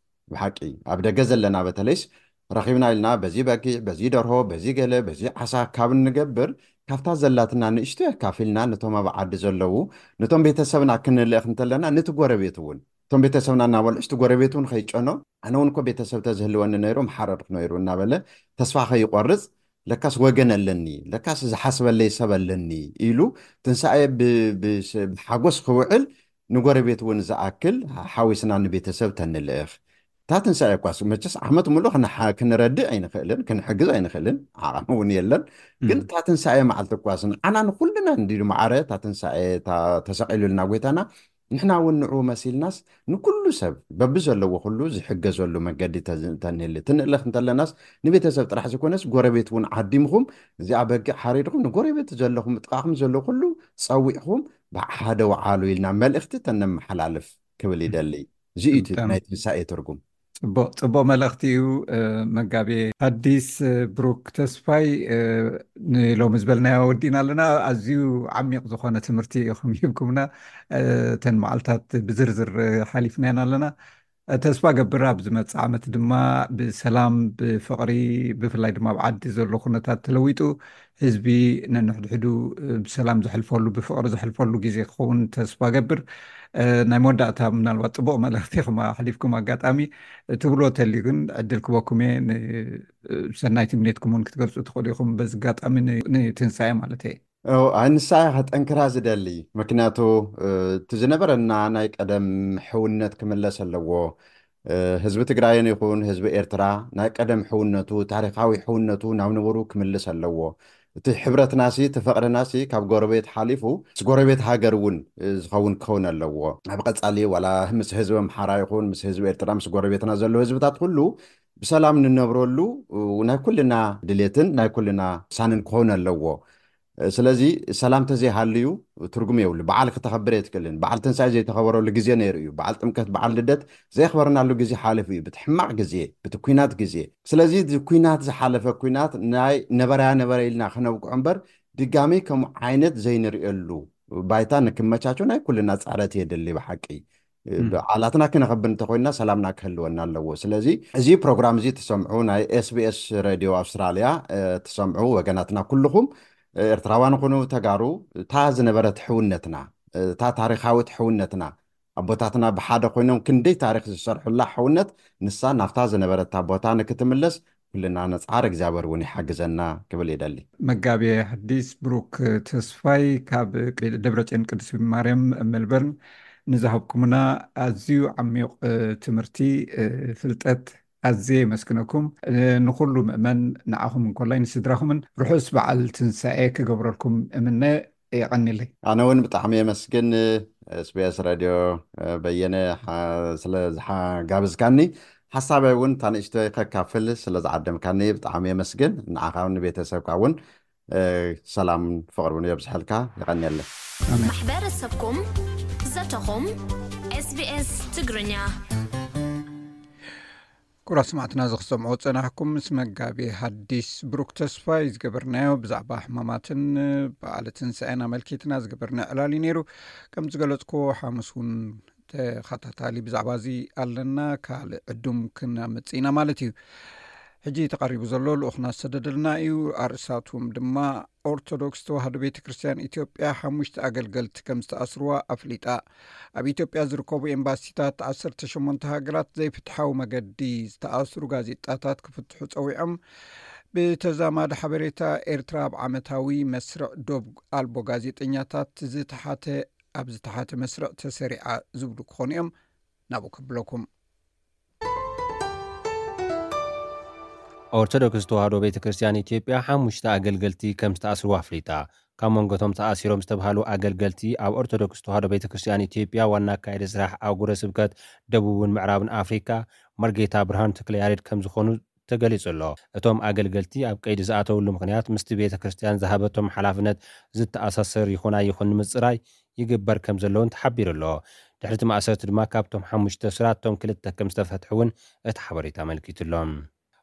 ብሓቂ ኣብ ደገ ዘለና በተለይስ ረኺብና ኢልና በዚ በጊዕ፣ በዚ ደርሆ፣ በዚ ገለ፣ በዚ ዓሳ ካብ እንገብር፣ ካብታ ዘላትና ንእሽቶ ኣካፊልና ነቶም ኣብ ዓዲ ዘለዉ፣ ነቶም ቤተሰብና ክንልእኽ እንተለና፣ ነቲ ጎረቤት እውን፣ እቶም ቤተሰብና እናበልዑ፣ እቲ ጎረቤት እውን ከይጨኖ፣ ኣነ እውን እኮ ቤተሰብ ተዝህልወኒ ነይሩ፣ ምሓረድኩ ነይሩ እናበለ ተስፋ ከይቆርጽ፣ ለካስ ወገን ኣለኒ፣ ለካስ ዝሓስበለይ ሰብ ኣለኒ ኢሉ ትንሳኤ ብ-፣ ብስ-፣ ብሓጎስ ክውዕል፣ ንጎረቤት እውን ዝኣክል ሓዊስና ንቤተሰብ ተንልእኽ። እታ ትንሳኤ እኳስ መቸስ ዓመት ሙሉእ ክንሓ-፣ ክንረድእ ኣይንኽእልን፣ ክንሕግዝ ኣይንኽእልን፣ ዓቕሚ እውን የለን። ግን እም። እታ ትንሳኤ መዓልቲ እኳስ ንዓና ንኹልና እንዲሉ ማዕረ እታ ትንሳኤ እታ ተሰቒሉልና ጎይታና፣ ንሕና እውን ንዕኡ መሲልናስ ንኩሉ ሰብ በብዘለዎ ኩሉ ዝሕገዘሉ መገዲ ተዝ-፣ ተንህሊ። ትንእለኽ እንተለናስ ንቤተሰብ ጥራሕ ዝኾነስ ጎረቤት እውን ዓዲምኹም እዚኣ በጊዕ ሓሪድኹም ንጎረቤት ዘለኹም ጥቓኹም ዘሎ ኩሉ ጸዊዕኹም ብሓደ ወዓሉ ኢልና መልእኽቲ ተነመሓላልፍ ክብል ይደሊ። እዚ እዩ እቲ ብጣዕሚ ናይ ትንሳኤ ትርጉም። ጽቡቕ፣ ጽቡቕ መልእኽቲ እዩ። እ፣ መጋቤ ሐዲስ፣ እ፣ ብሩክ ተስፋይ፣ እ፣ ንሎሚ ዝበልናዮ ወዲእና ኣለና። ኣዝዩ ዓሚቕ ዝኾነ ትምህርቲ ኢኹም ሂብኩምና። እ፣ እተን መዓልታት ብዝርዝር፣ እ፣ ሓሊፍናየን ኣለና። እ፣ ተስፋ ገብር ኣብ ዝመጽእ ዓመት ድማ ብሰላም፣ ብፍቕሪ፣ ብፍላይ ድማ ኣብ ዓዲ ዘሎ ኩነታት ተለዊጡ ህዝቢ ነንሕድሕዱ፣ እ፣ ብሰላም ዘሕልፈሉ፣ ብፍቕሪ ዘሕልፈሉ ግዜ ክኸውን ተስፋ ገብር። እ፣ ናይ መወዳእታ ምናልባት ጽቡቕ መልእኽቲ ኢኹም ኣሕሊፍኩም፣ ኣጋጣሚ ትብሎ ተልዩ ግን ዕድል ክበኩም እየ። ን-፣ እ፣ ሰናይ ትምኒትኩም እውን ክትገልጹ ትኽእሉ ኢኹም በዚ ኣጋጣሚ ን-፣ ንትንሳኤ ማለት እየ። ኦ፣ ኣይ፣ ንሳ እያ ከጠንክራ ዝደሊ። ምክንያቱ፣ እ፣ እቲ ዝነበረና ናይ ቀደም ሕውነት ክምለስ ኣለዎ። እ፣ ህዝቢ ትግራይን ይኹን ህዝቢ ኤርትራ ናይ ቀደም ሕውነቱ፣ ታሪኻዊ ሕውነቱ ናብ ንቡሩ ክምልስ ኣለዎ። እቲ ሕብረትናሲ፣ እቲ ፍቕርናሲ ካብ ጎረቤት ሓሊፉ ምስ ጎረቤት ሃገር እውን፣ እ፣ ዝኸውን ክኸውን ኣለዎ። ኣብ ቀጻሊ ዋላ ምስ ህዝቢ ኣምሓራ ይኹን ምስ ህዝቢ ኤርትራ፣ ምስ ጎረቤትና ዘሎ ህዝብታት ኩሉ ብሰላም ንነብረሉ፣ እ፣ ናይ ኩልና ድሌትን ናይ ኩልና ውሳንን ክኸውን ኣለዎ። ስለዚ ሰላም ተዘይሃልዩ ትርጉም የብሉ። በዓል ክተኸብር የትክእልን። በዓል ትንሳኤ ዘይተኸበረሉ ግዜ ነይሩ እዩ። በዓል ጥምቀት፣ በዓል ልደት ዘየኽበርናሉ ግዜ ሓሊፉ እዩ። ብቲ ሕማቕ ግዜ፣ ብቲ ኲናት ግዜ። ስለዚ እዚ ኲናት፣ ዝሓለፈ ኲናት ናይ ነበረያ ነበረ ኢልና ክነብቅዖ እምበር፣ ድጋሚ ከምኡ ዓይነት ዘይንርእየሉ ባይታ ንክመቻቸው ናይ ኩልና ጻዕረት የድሊ ብሓቂ። እም። በዓላትና ክነኸብር እንተኾይንና ሰላምና ክህልወና ኣለዎ። ስለዚ እዚ ፕሮግራም እዚ ትሰምዑ፣ ናይ ኤስ ቢ ኤስ ሬድዮ ኣውስትራልያ፣ እ፣ ትሰምዑ ወገናትና ኩልኹም፣ እ፣ ኤርትራውያን ኹኑ ተጋሩ፣ እታ ዝነበረት ሕውነትና፣ እታ ታሪኻዊት ሕውነትና፣ ኣቦታትና ብሓደ ኮይኖም ክንደይ ታሪኽ ዝሰርሑላ ሕውነት፣ ንሳ ናብታ ዝነበረታ ቦታ ንክትምለስ ኩልና ንጽዓር፣ እግዚኣብሔር እውን ይሓግዘና ክብል ይደሊ። መጋቤ ሐዲስ ብሩክ ተስፋይ ካብ ቅድ-፣ ደብረጽዮን ቅድስት ማርያም ሜልበርን ንዝሃብኩምና ኣዝዩ ዓሚቕ፣ እ፣ ትምህርቲ፣ እ፣ ፍልጠት ኣዝየ የመስግነኩም። እ፣ ንኹሉ ምእመን ንዓኹም እንኮላይ ንስድራኹምን ርሑስ በዓል ትንሳኤ ክገብረልኩም እምነ። የቐንየለይ። ኣነ እውን ብጣዕሚ የመስግን፣ ኤስ ቢ ኤስ ሬድዮ፣ እ፣ በየነ፣ ሓ-፣ ስለ ዝሓጋብዝካኒ፣ ሓሳበይ እውን እታ ንእሽተይ ከካፍል ስለ ዝዓደምካኒ ብጣዕሚ የመስግን። ንዓኻ እውን ንቤተሰብካ እውን፣ እ፣ ሰላምን ፍቕሪ እውን የብዝሐልካ። የቐንየለይ። ኣሜን። ማሕበረሰብኩም፣ ዘተኹም፣ ኤስ ቢ ኤስ ትግርኛ። ክቡራት ሰማዕትና፣ እዚ ክትሰምዑ ዝጸናሕኩም ምስ መጋቤ ሐዲስ ብሩክ ተስፋይ ዝገበርናዮ ብዛዕባ ሕማማትን በዓለ ትንሳኤን ኣመልኪትና ዝገበርናዮ ዕላል እዩ ነይሩ። ከም ዝገለጽኩዎ፣ ሓሙስ እውን ተኸታታሊ ብዛዕባ እዚ ኣለና። ካልእ ዕዱም ክነምጽእ ኢና ማለት እዩ። ሕጂ ተቐሪቡ ዘሎ ልኡኽና ዝሰደደልና እዩ። ኣርእስታቱ ድማ ኦርቶዶክስ ተዋህዶ ቤተ ክርስቲያን ኢትዮጵያ ሓሙሽተ ኣገልገልቲ ከም ዝተኣስርዋ ኣፍሊጣ። ኣብ ኢትዮጵያ ዝርከቡ ኤምባሲታት ዓሰርተ ሸሞንተ ሃገራት ዘይፍትሓዊ መገዲ ዝተኣስሩ ጋዜጣታት ክፍትሑ ጸዊዖም። ብተዛማዲ ሓበሬታ፣ ኤርትራ ኣብ ዓመታዊ መስርዕ ዶብ ኣልቦ ጋዜጠኛታት ዝተሓተ፣ ኣብ ዝተሓተ መስርዕ ተሰሪዓ ዝብሉ ክኾኑ እዮም። ናብኡ ከብለኩም። ኦርቶዶክስ ተዋህዶ ቤተ ክርስቲያን ኢትዮጵያ ሓሙሽተ ኣገልገልቲ ከም ዝተኣስርዋ ኣፍሊጣ። ካብ መንጎ እቶም ተኣሲሮም ዝተባህሉ ኣገልገልቲ፣ ኣብ ኦርቶዶክስ ተዋህዶ ቤተ ክርስቲያን ኢትዮጵያ ዋና ኣካያዲ ስራሕ ኣህጉረ ስብከት ደቡብን ምዕራብን ኣፍሪካ መርጌታ ብርሃኑ ተክለያሬድ ከም ዝኾኑ ተገሊጹ ኣሎ። እቶም ኣገልገልቲ ኣብ ቀይዲ ዝኣተውሉ ምኽንያት ምስቲ ቤተ ክርስቲያን ዝሃበቶም ሓላፍነት ዝተኣሳሰር ይኹን ኣይኹን ንምጽራይ ይግበር ከም ዘለውን ተሓቢሩ ኣሎ። ድሕሪ እቲ ማእሰርቲ ድማ ካብቶም ሓሙሽተ እሱራት እቶም ክልተ ከም ዝተፈትሑ እውን እቲ ሓበሬታ ኣመልኪቱ ኣሎ።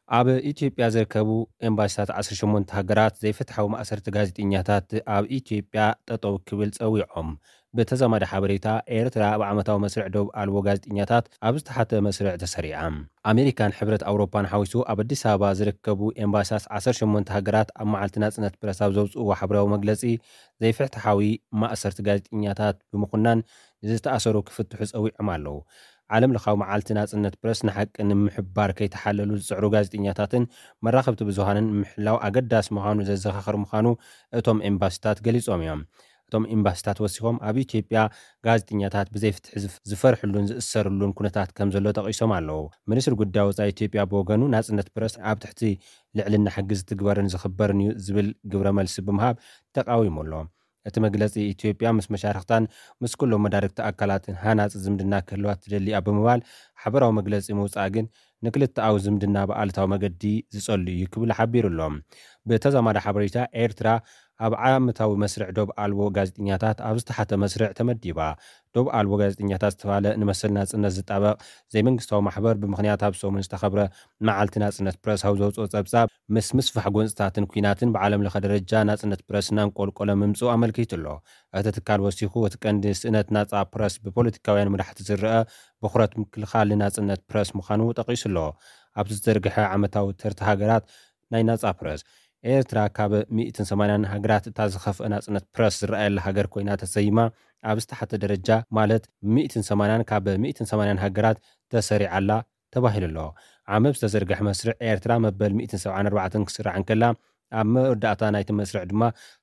ኣብ ኢትዮጵያ ዝርከቡ ኤምባሲታት ዓሰርተ ሸሞንተ ሃገራት ዘይፍትሓዊ ማእሰርቲ ጋዜጠኛታት ኣብ ኢትዮጵያ ጠጠው ክብል ጸዊዖም። ብተዛማዲ ሓበሬታ፣ ኤርትራ ኣብ ዓመታዊ መስርዕ ዶብ ኣልቦ ጋዜጠኛታት ኣብ ዝተሓተ መስርዕ ተሰሪዓ። ኣሜሪካን ሕብረት ኣውሮፓን ሓዊሱ ኣብ ኣዲስ ኣበባ ዝርከቡ ኤምባሲታት ዓሰርተ ሸሞንተ ሃገራት ኣብ መዓልቲ ናጽነት ፕረስ ኣብ ዘውጽእዎ ሓበራዊ መግለጺ፣ ዘይፍትሓዊ ማእሰርቲ ጋዜጠኛታት ብምኹናን ንዝተኣሰሩ ክፍትሑ ጸዊዖም ኣለዉ። ዓለም ለኻዊ መዓልቲ ናጽነት ፕረስ ንሓቂ ንምሕባር ከይተሓለሉ ዝጽዕሩ ጋዜጠኛታትን መራኸብቲ ብዙሃንን ምሕላው ኣገዳሲ ምዃኑ ዘዘኻኽር ምዃኑ እቶም ኤምባሲታት ገሊጾም እዮም። እቶም ኤምባሲታት ወሲኾም፣ ኣብ ኢትዮጵያ ጋዜጠኛታት ብዘይፍትሒ ዝፍ-፣ ዝፈርሕሉን ዝእሰርሉን ኩነታት ከም ዘሎ ጠቒሶም ኣለዉ። ሚኒስትሪ ጉዳይ ወጻኢ ኢትዮጵያ ብወገኑ፣ ናጽነት ፕረስ ኣብ ትሕቲ ልዕልና ሕጊ ዝትግበርን ዝኽበርን እዩ ዝብል ግብረ መልሲ ብምሃብ ተቃዊሙ ኣሎ። እቲ መግለጺ፣ ኢትዮጵያ ምስ መሻርኽታን ምስ ኩሎም መዳርግቲ ኣካላትን ሃናጺ ዝምድና ክህልዋ ትደሊ እያ ብምባል፣ ሓበራዊ መግለጺ ምውጻእ ግን ንክልተኣዊ ዝምድና ብኣሉታዊ መገዲ ዝጸሉ እዩ ክብል ሓቢሩ ኣሎ። ብተዛማዲ ሓበሬታ፣ ኤርትራ ኣብ ዓመታዊ መስርዕ ዶብ ኣልቦ ጋዜጠኛታት ኣብ ዝተሓተ መስርዕ ተመዲባ። ዶብ ኣልቦ ጋዜጠኛታት ዝተባለ ንመሰል ናጽነት ዝጣበቕ ዘይመንግስታዊ ማሕበር፣ ብምኽንያት ኣብ ሰሙን ዝተኸብረ መዓልቲ ናጽነት ፕረስ ኣብ ዘውጽኦ ጸብጻብ፣ ምስ ምስፋሕ ጎንጽታትን ኲናትን ብዓለም ለኸ ደረጃ ናጽነት ፕረስ እናንቆልቆለ ምምጽኡ ኣመልኪቱ ኣሎ። እቲ ትካል ወሲኹ፣ እቲ ቀንዲ ስእነት ናጻ ፕረስ ብፖለቲካውያን መራሕቲ ዝረአ ብኹረት ምክልኻል ንናጽነት ፕረስ ምዃኑ ጠቒሱ ኣሎ። ኣብቲ ዝተዘርግሐ ዓመታዊ ተርታ ሃገራት ናይ ናጻ ፕረስ፣ ኤርትራ ካብ ሚእትን ሰማንያን ሃገራት እታ ዝኸፍአ ናጽነት ፕረስ ዝረኣየላ ሃገር ኮይና ተሰይማ። ኣብ ዝተሓተ ደረጃ፣ ማለት ሚእትን ሰማንያን ካብ ሚእትን ሰማንያን ሃገራት ተሰሪዓ ኣላ ተባሂሉ ኣሎ። ዓመብ ዝተዘርግሐ መስርዕ ኤርትራ መበል ሚእትን ሰብዓን ኣርባዕተን ክስራዕ እንከላ፣ ኣብ መወዳእታ ናይቲ መስርዕ ድማ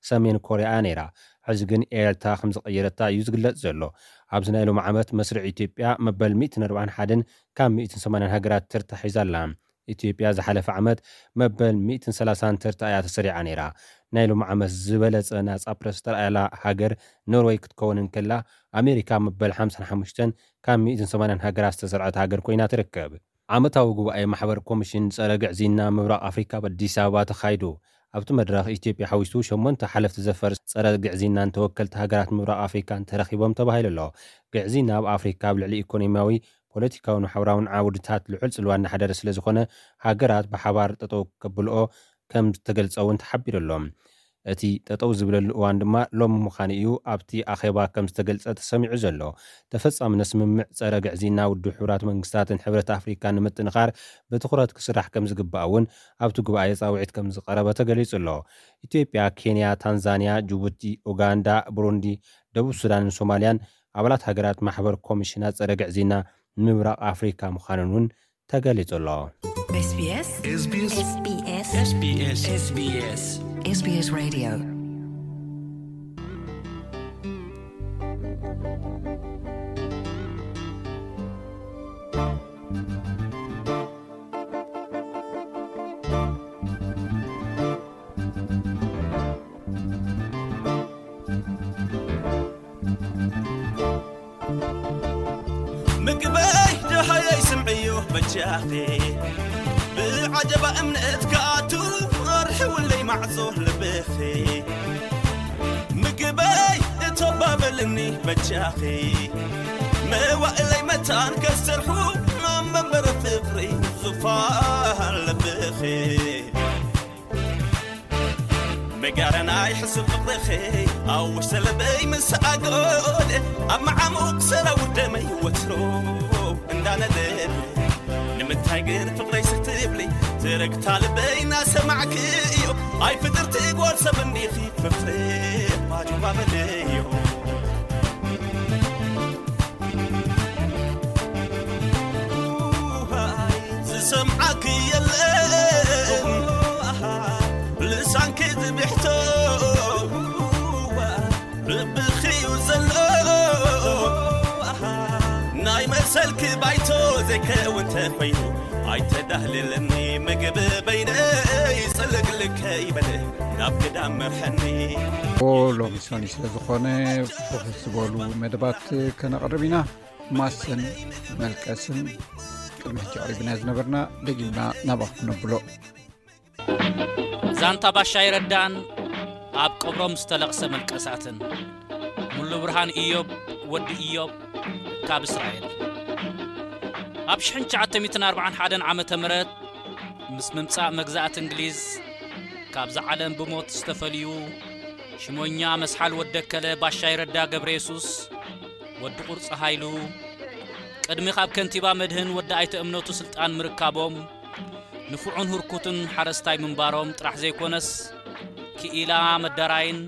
ሰሜን ኮርያ እያ ነይራ። ሕዚ ግን ኤርትራ ከም ዝቐየረታ እዩ ዝግለጽ ዘሎ። ኣብዚ ናይ ሎሚ ዓመት መስርዕ ኢትዮጵያ መበል ሚእትን ኣርባዓን ሓደን ካብ ሚእትን ሰማንያን ሃገራት ተርታ ሒዛ ኣላ። ኢትዮጵያ ዝሓለፈ ዓመት መበል ሚእትን ሰላሳን ተርታ እያ ተሰሪዓ ነይራ። ናይ ሎሚ ዓመት ዝበለጸ ናጻ ፕረስ ዝተረኣየላ ሃገር ኖርወይ ክትከውን እንከላ፣ ኣሜሪካ መበል ሓምሳን ሓሙሽተን ካብ ሚእትን ሰማንያን ሃገራት ዝተሰርዐት ሃገር ኮይና ትርከብ። ዓመታዊ ጉባኤ ማሕበር ኮሚሽን ጸረ ግዕዝይና ምብራቕ ኣፍሪካ ኣብ ኣዲስ ኣበባ ተኻይዱ። ኣብቲ መድረኽ፣ ኢትዮጵያ ሓዊሱ ሸሞንተ ሓለፍቲ ዘፈር ጸረ ግዕዝይናን ተወከልቲ ሃገራት ምብራቕ ኣፍሪካን ተረኺቦም ተባሂሉ ኣሎ። ግዕዝይና ኣብ ኣፍሪካ ኣብ ልዕሊ ኢኮኖሚያዊ፣ ፖለቲካውን ማሕበራውን ዓውድታት ልዑል ጽልዋ እናሓደረ ስለ ዝኾነ፣ ሃገራት ብሓባር ጠጠው ከብልኦ ከም ዝተገልጸ እውን ተሓቢሩ ኣሎ። እቲ ጠጠው ዝብለሉ እዋን ድማ ሎሚ ምዃኑ እዩ ኣብቲ ኣኼባ ከም ዝተገልጸ ተሰሚዑ ዘሎ። ተፈጻምነት ስምምዕ ጸረ ግዕዝይና ውድብ ሕቡራት መንግስታትን ሕብረት ኣፍሪካን ንምጥንኻር ብትኹረት ክስራሕ ከም ዝግባእ እውን ኣብቲ ጉባኤ ጻውዒት ከም ዝቐረበ ተገሊጹ ኣሎ። ኢትዮጵያ፣ ኬንያ፣ ታንዛንያ፣ ጅቡቲ፣ ኡጋንዳ፣ ብሩንዲ፣ ደቡብ ሱዳንን ሶማልያን ኣባላት ሃገራት ማሕበር ኮሚሽናት ጸረ ግዕዝይና ምብራቕ ኣፍሪካ ምዃነን እውን ተገሊጹ ኣሎ። SBS SBS SBS SBS SBS Radio. ምግበይ ደሃየይ ስምዕዮ በጃኺ፣ ብዓጀባ እምነት ክኣቱ ኣርሕውለይ ማዕጾ ልብኺ። ምግበይ እተባበልኒ በጃኺ፣ መዋእለይ መታን ከሰርሑ ኣብ መንበሪ ፍቕሪ ዙፋን ልብኺ። መጋረና ይሕስብ ፍቕርኺ፣ ኣብ ውሽጢ ልበይ ምስ ኣጎደ፣ ኣብ መዓሙቕ ሰራውር ደመይ ወትሩ እንዳነደደ። ንምንታይ ግን ፍቕረይ ስኽ ትብሊ፣ ትርግታ ልበይ እናሰማዕክዮ? ኣይ ፍጥርቲ ጓል ሰብ እንዲኺ፣ ፍቕሪ ባጁባ በለዮ። ዝሰምዓኪ የለን ልሳንኪ ዝብሕቶ፣ ልብኺ እዩ ዘሎ ናይ መሰልኪ ባይቶ። ዘይከውን ተኾይኑ ኣይተዳህልለኒ፣ ምግቢ በይነይ ጽልግልግ ከይበለ ናብ ግዳም መርሐኒ። ኦ፣ ሎሚ ሰኒ ስለ ዝኾነ፣ ብኽት ዝበሉ መደባት ከነቕርብ ኢና። ማሰን መልቀስን ቅድሚ ሕጂ ኣቕሪብና ዝነበርና ደጊምና ናባኹም ነብሎ። ዛንታ ባሻይ ረዳን ኣብ ቀብሮም ዝተለቕሰ መልቀሳትን። ሙሉ ብርሃን ኢዮብ፣ ወዲ ኢዮብ፣ ካብ እስራኤል። ኣብ ሽሕን ትሽዓተ ሚእትን ኣርባዓን ሓደን ዓመተ ምህረት ምስ ምምጻእ መግዛእቲ እንግሊዝ ካብዛ ዓለም ብሞት ዝተፈልዩ ሽሞኛ መስሓል ወደከለ ባሻይ ረዳ ገብረ የሱስ፣ ወዲ ቁርጺ ሃይሉ፣ ቅድሚ ካብ ከንቲባ መድህን ወዲ ኣይተ እምነቱ ስልጣን ምርካቦም፣ ንፉዑን ህርኩትን ሓረስታይ ምንባሮም ጥራሕ ዘይኮነስ፣ ክኢላ መዳራይን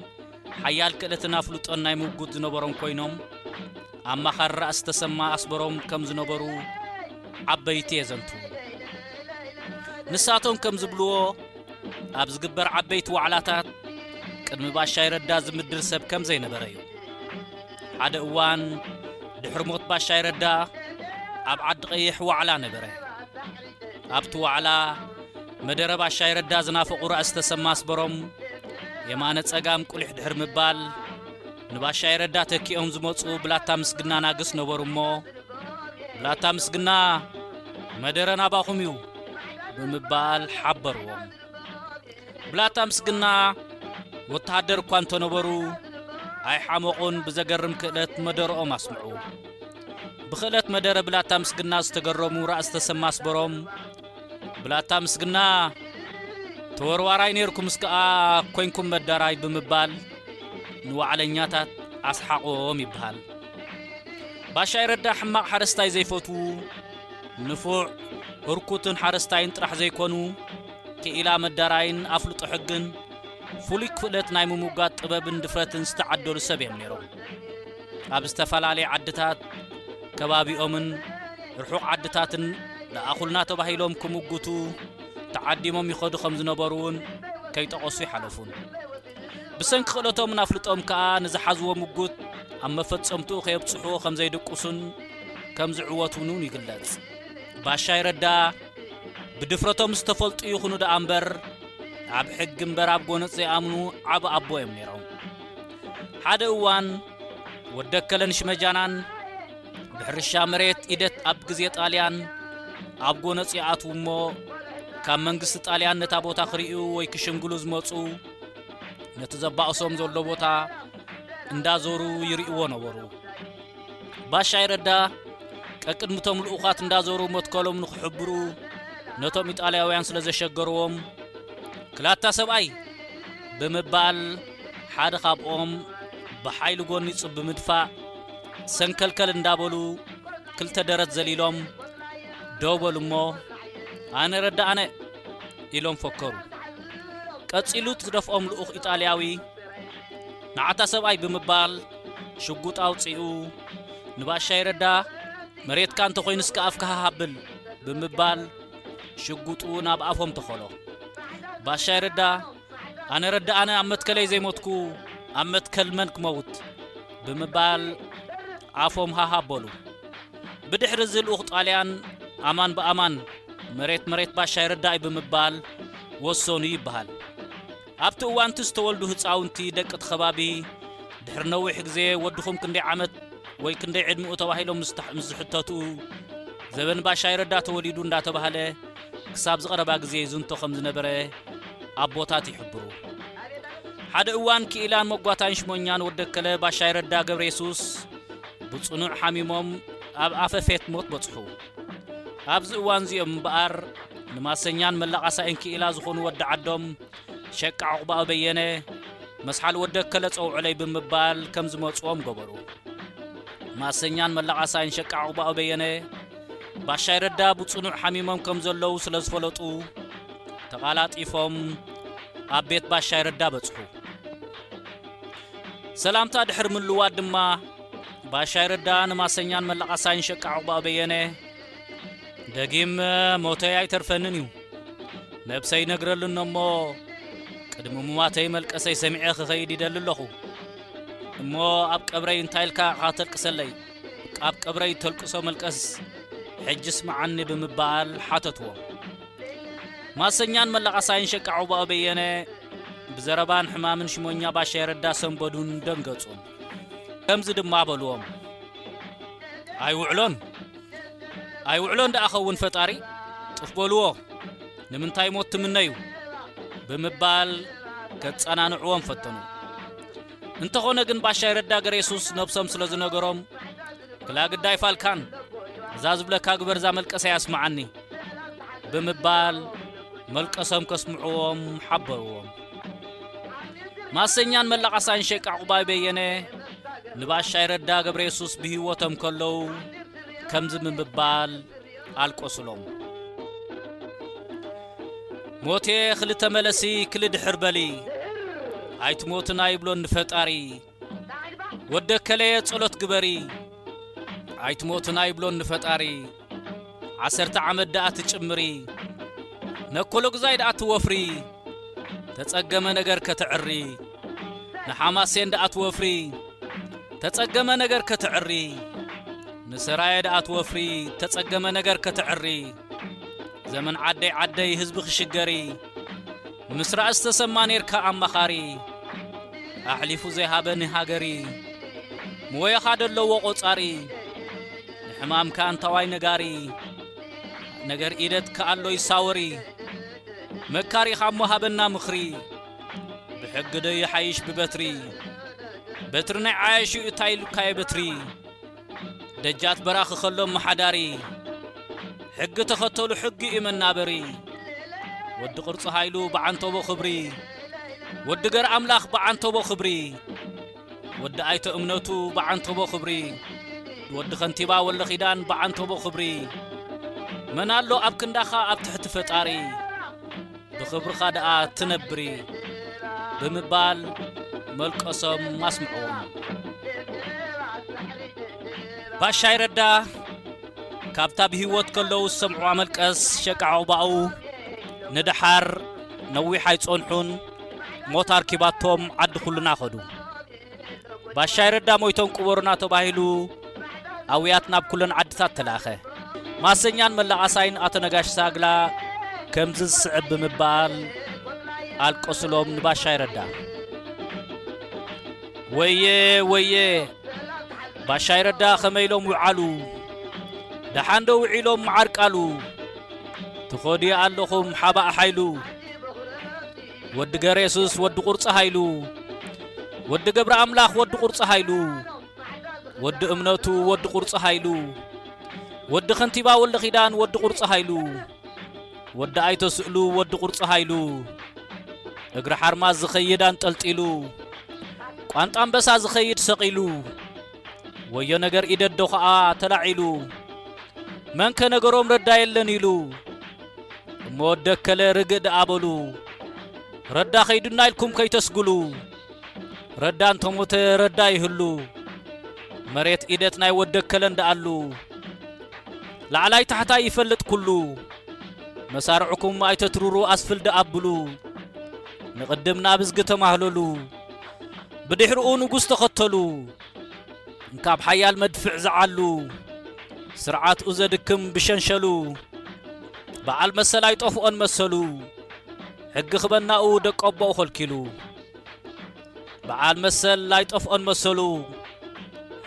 ሓያል ክእለትን ኣፍልጦን ናይ ምጉት ዝነበሮም ኮይኖም፣ ኣማኻሪ ራእሲ ተሰማ ኣስበሮም ከም ዝነበሩ ዓበይቲ የዘንቱ። ንሳቶም ከም ዝብልዎ፣ ኣብ ዝግበር ዓበይቲ ዋዕላታት ቅድሚ ባሻይ ረዳ ዝምድር ሰብ ከም ዘይነበረ እዩ። ሓደ እዋን ድሕሪ ሞት ባሻይ ረዳ ኣብ ዓዲ ቀይሕ ዋዕላ ነበረ። ኣብቲ ዋዕላ መደረ ባሻይ ረዳ ዝናፈቑ ራእሲ ተሰማ ኣስበሮም የማነ ጸጋም ቁሊሕ ድሕሪ ምባል፣ ንባሻይ ረዳ ተኪኦም ዝመጹ ብላታ ምስግና ናግስ ነበሩ እሞ፣ ብላታ ምስግና መደረ ናባኹም እዩ ብምባል ሓበርዎም። ብላታ ምስግና ወተሃደር እኳ እንተነበሩ ኣይሓመቑን፣ ብዘገርም ክእለት መደረኦም ኣስምዑ። ብክእለት መደረ ብላታ ምስግና ዝተገረሙ ራእሲ ተሰማ ኣስበሮም፣ ብላታ ምስግና ተወርዋራይ ነይርኩምስ ከኣ ኮይንኩም መዳራይ ብምባል ንዋዕለኛታት ኣስሓቖም ይበሃል። ባሻይ ረዳ ሕማቕ ሓረስታይ ዘይፈትዉ፣ ንፉዕ ህርኩትን ሓረስታይን ጥራሕ ዘይኮኑ፣ ክኢላ መዳራይን ኣፍልጦ ሕግን ፍሉይ ክፍለት ናይ ምምጓት ጥበብን ድፍረትን ዝተዓደሉ ሰብ እዮም ነይሮም። ኣብ ዝተፈላለየ ዓድታት ከባቢኦምን ርሑቕ ዓድታትን ለኣኹልና ተባሂሎም ክምጉቱ ተዓዲሞም ይኸዱ ከም ዝነበሩ እውን ከይጠቐሱ ይሓለፉን። ብሰንኪ ክእለቶምን ኣፍልጦም ከኣ ንዝሓዝዎ ምጉት ኣብ መፈጸምትኡ ከየብጽሕዎ ከም ዘይድቅሱን ከም ዝዕወቱን እውን ይግለጽ። ባሻይ ረዳ ብድፍረቶም ዝተፈልጡ ይኹኑ ደኣ እምበር፣ ኣብ ሕጊ እምበር ኣብ ጎነጽ ዘይኣምኑ ዓቢ ኣቦ እዮም ነይሮም። ሓደ እዋን ወደከለን ሽመጃናን ብሕርሻ መሬት ኢደት ኣብ ግዜ ጣልያን ኣብ ጎነጽ ይኣትዉ እሞ፣ ካብ መንግስቲ ጣልያን ነታ ቦታ ክርእዩ ወይ ክሽምግሉ ዝመጹ፣ ነቲ ዘባእሶም ዘሎ ቦታ እንዳዞሩ ይርእይዎ ነበሩ። ባሻይ ረዳ ቀቅድምቶም ልኡኻት እንዳዞሩ መትከሎም ንክሕብሩ ነቶም ኢጣልያውያን ስለ ዘሸገርዎም፣ "ክላታ ሰብኣይ!" ብምባል ሓደ ካብኦም ብሓይሊ ጎኒጹ ብምድፋእ፣ ሰንከልከል እንዳበሉ ክልተ ደረት ዘሊሎም፣ "ደው በሉ እሞ፣ ኣነ ረዳ ኣነ!" ኢሎም ፈከሩ። ቀጺሉ እቲ ደፍኦም ልኡኽ ኢጣልያዊ፣ "ንዓታ ሰብኣይ!" ብምባል ሽጉጥ ኣውጺኡ ንባሻይ ረዳ፣ "መሬትካ እንተኾይኑስ ከኣ ኣፍካ ሃብል!" ብምባል ሽጉጡ ናብ ኣፎም ተኸሎ። ባሻይ ረዳ፣ "ኣነ ረዳ ኣነ ኣብ መትከለይ ዘይሞትኩ ኣብ መትከል መን ክመውት?" ብምባል ኣፎም ሃሃ ኣበሉ። ብድሕሪ እዚ ልኡኽ ጣልያን ኣማን ብኣማን መሬት መሬት ባሻይ ረዳ እዩ ብምባል ወሰኑ ይበሃል። ኣብቲ እዋንቲ ዝተወልዱ ህፃውንቲ ደቂ እቲ ከባቢ ድሕሪ ነዊሕ ግዜ ወድኹም ክንደይ ዓመት ወይ ክንደይ ዕድሚኡ ተባሂሎም ምስ ተሕ-፣ ምስ ዝሕተቱ፣ ዘበን ባሻይ ረዳ ተወሊዱ እንዳተባህለ ክሳብ ዝቐረባ ግዜ ይዝንቶ ከም ዝነበረ ኣቦታት ይሕብሩ። ሓደ እዋን ክኢላን መጓታይን ሽሞኛን ወደከለ ባሻይ ረዳ ገብረ የሱስ ብጽኑዕ ሓሚሞም ኣብ ኣፈፌት ሞት በጽሑ። ኣብዚ እዋን እዚኦም እምበኣር ንማሰኛን መላቓሳይን ክኢላ ዝኾኑ ወዲ ዓዶም ሸቃ ዑቕባኡ በየነ፣ መስሓል ወደከለ ጸውዕለይ ብምባል ከም ዝመጽዎም ገበሩ። ማሰኛን መላቓሳይን ሸቃ ዑቕባኡ በየነ፣ ባሻይ ረዳ ብጽኑዕ ሓሚሞም ከም ዘለዉ ስለ ዝፈለጡ፣ ተቓላጢፎም ኣብ ቤት ባሻይ ረዳ በጽሑ። ሰላምታ ድሕሪ ምልዋጥ ድማ፣ ባሻይ ረዳ ንማሰኛን መላቓሳይን ሸቃ ዑቕባኡ በየነ፣ "ደጊም ሞተይ ኣይተርፈንን እዩ። ነብሰይ ይነግረሉኒ እሞ፣ ቅድሚ ምማተይ መልቀሰይ ሰሚዐ ክኸይድ ይደሊ ኣለኹ። እሞ ኣብ ቀብረይ እንታይ ኢልካ ኢኻ ተልቅሰለይ? ኣብ ቀብረይ ተልቅሶ መልቀስ ሕጂ ስምዓኒ" ብምባል ሓተትዎ። ማሰኛን መላቓሳይን ሸቃ ዑባኡ በየነ ብዘረባን ሕማምን ሽሞኛ ባሻይ ረዳ ሰንበዱን ደንገጹን። ከምዚ ድማ በልዎም፣ "ኣይውዕሎን፣ ኣይውዕሎን ደኣ ኸውን ፈጣሪ፣ ጥፍ በልዎ፣ ንምንታይ ሞት ትምነዩ?" ብምባል ከጸናንዕዎም ፈተኑ። እንተኾነ ግን ባሻይ ረዳ ገሬሱስ ነብሶም ስለ ዝነገሮም፣ "ክላ ግዳይ ፋልካን፣ እዛ ዝብለካ ግበር፣ እዛ መልቀሰይ ኣስምዓኒ" ብምባል መልቀሶም ከስምዕዎም ሓበርዎም። ማሰኛን መላቓሳይን ሸቃ ዕቑባይ በየነ ንባሻይ ረዳ ገብረ የሱስ ብህይወቶም ከለዉ ከምዚ ብምባል ኣልቀሱሎም። ሞቴ ክልተ መለሲ ክልድሕር በሊ፣ ኣይትሞትን ኣይብሎን ንፈጣሪ። ወደ ከለየ ጸሎት ግበሪ፣ ኣይትሞትን ኣይብሎን ንፈጣሪ። ዓሰርተ ዓመት ደኣ ትጭምሪ፣ ነኮሎግዛይ ደኣ ትወፍሪ፣ ተጸገመ ነገር ከተዕሪ። ንሓማሴን ደኣ ትወፍሪ፣ ተጸገመ ነገር ከተዕሪ። ንሰራየ ደኣ ትወፍሪ፣ ተጸገመ ነገር ከተዕሪ። ዘመን ዓደይ ዓደይ ህዝቢ ክሽገሪ፣ ምስ ራእሲ ተሰማ ኔርካ ኣማኻሪ። ኣሕሊፉ ዘይሃበ ንሃገሪ፣ ምወየኻ ደለዎ ቆጻሪ። ንሕማምካ እንታዋይ ነጋሪ፣ ነገር ኢደት ከኣሎ ይሳወሪ። መካሪኻ እሞ ሃበና ምኽሪ፣ ብሕጊ ዶ ይሓይሽ ብበትሪ? በትሪ ናይ ዓያሹ እንታይ ኢሉካየ በትሪ? ደጃት በራኺ ከሎ መሓዳሪ፣ ሕጊ ተኸተሉ ሕጊ እዩ መናበሪ። ወዲ ቅርጺ ሃይሉ ብዓንተቦ ክብሪ፣ ወዲ ገር ኣምላኽ ብዓንተቦ ክብሪ፣ ወዲ ኣይተ እምነቱ ብዓንተቦ ክብሪ፣ ወዲ ከንቲባ ወለኺዳን ብዓንተቦ ክብሪ። መን ኣሎ ኣብ ክንዳኻ ኣብ ትሕቲ ፈጣሪ? ብኽብርኻ ደኣ ትነብሪ ብምባል መልቀሶም ኣስምዕዎም። ባሻይ ረዳ ካብታ ብህይወት ከለዉ ዝሰምዕዋ መልቀስ ሸቃ ዕቑባኡ ንደሓር ነዊሕ ኣይጸንሑን፣ ሞት ኣርኪባቶም ዓዲ ኩልና ኸዱ። ባሻይ ረዳ ሞይቶም ቅበሩና ተባሂሉ ኣውያት ናብ ኩለን ዓድታት ተላእኸ። ማሰኛን መላቓሳይን ኣቶ ነጋሽ ሳግላ ከምዚ ዝስዕብ ብምባል ኣልቀሱሎም ንባሻይ ረዳ። ወየ ወየ፣ ባሻይ ረዳ ከመይ ኢሎም ውዓሉ? ደሓን ዶ ውዒሎም መዓር ቃሉ? ትኸዱ ኣለኹም ሓባእ ሓይሉ፣ ወዲ ገሬሱስ ወዲ ቁርፂ ሃይሉ፣ ወዲ ገብረ ኣምላኽ ወዲ ቁርፂ ሃይሉ፣ ወዲ እምነቱ ወዲ ቁርፂ ሃይሉ፣ ወዲ ከንቲባ ወልደ ኺዳን ወዲ ቁርፂ ሃይሉ፣ ወዲ ኣይተ ስእሉ ወዲ ቁርፂ ሃይሉ፣ እግሪ ሓርማዝ ዝኸይድ ኣንጠልጢሉ፣ ቋንጣ ኣንበሳ ዝኸይድ ሰቒሉ፣ ወዮ ነገር ኢደዶ ኸዓ ተላዒሉ፣ መንከ ነገሮም ረዳ የለን ኢሉ። እሞ ወደከለ ርግእ ደኣ በሉ፣ ረዳ ኸይዱና ኢልኩም ከይተስጉሉ። ረዳ እንተሞተ ረዳ ይህሉ፣ መሬት ኢደት ናይ ወደከለ እንደኣሉ። ላዕላይ ታሕታይ ይፈልጥ ኩሉ፣ መሳርዕኩም ኣይተትሩሩ ኣስፍል ደኣ ኣብሉ። ንቕድም ናብ እዝጊ ተማህለሉ፣ ብድሕርኡ ንጉስ ተኸተሉ። እንካብ ሓያል መድፍዕ ዝዓሉ፣ ስርዓትኡ ዘድክም ብሸንሸሉ። በዓል መሰል ኣይጠፍኦን መሰሉ፣ ሕጊ ክበናኡ ደቀቦኡ ኸልኪሉ። በዓል መሰል ኣይጠፍኦን መሰሉ፣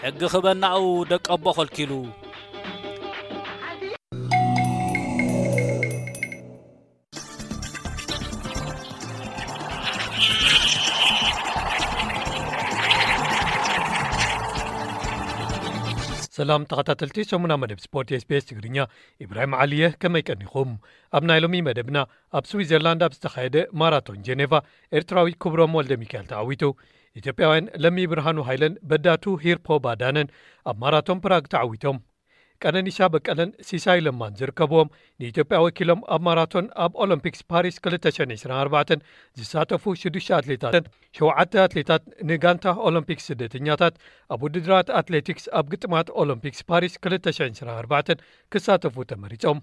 ሕጊ ክበናኡ ደቀቦ ኸልኪሉ። ሰላም ተኸታተልቲ ሰሙና መደብ ስፖርት ኤስቢኤስ ትግርኛ፣ ኢብራሂም ዓሊ እየ። ከመይ ቀኒኹም? ኣብ ናይ ሎሚ መደብና፣ ኣብ ስዊዘርላንድ ኣብ ዝተኻየደ ማራቶን ጀኔቫ ኤርትራዊ ክብሮም ወልደ ሚካኤል ተዓዊቱ። ኢትዮጵያውያን ለሚ ብርሃኑ ሃይለን በዳቱ ሂርፖ ባዳነን ኣብ ማራቶን ፕራግ ተዓዊቶም። ቀነኒሳ በቀለን ሲሳይ ለማን ዝርከብዎም፣ ንኢትዮጵያ ወኪሎም ኣብ ማራቶን ኣብ ኦሎምፒክስ ፓሪስ ክልተ ሽሕን ዕስራን ኣርባዕተን ዝሳተፉ ሽዱሽተ ኣትሌታትን ሸውዓተ ኣትሌታት ንጋንታ ኦሎምፒክስ ስደተኛታት ኣብ ውድድራት ኣትሌቲክስ ኣብ ግጥማት ኦሎምፒክስ ፓሪስ ክልተ ሽሕን ዕስራን ኣርባዕተን ክሳተፉ ተመሪጾም።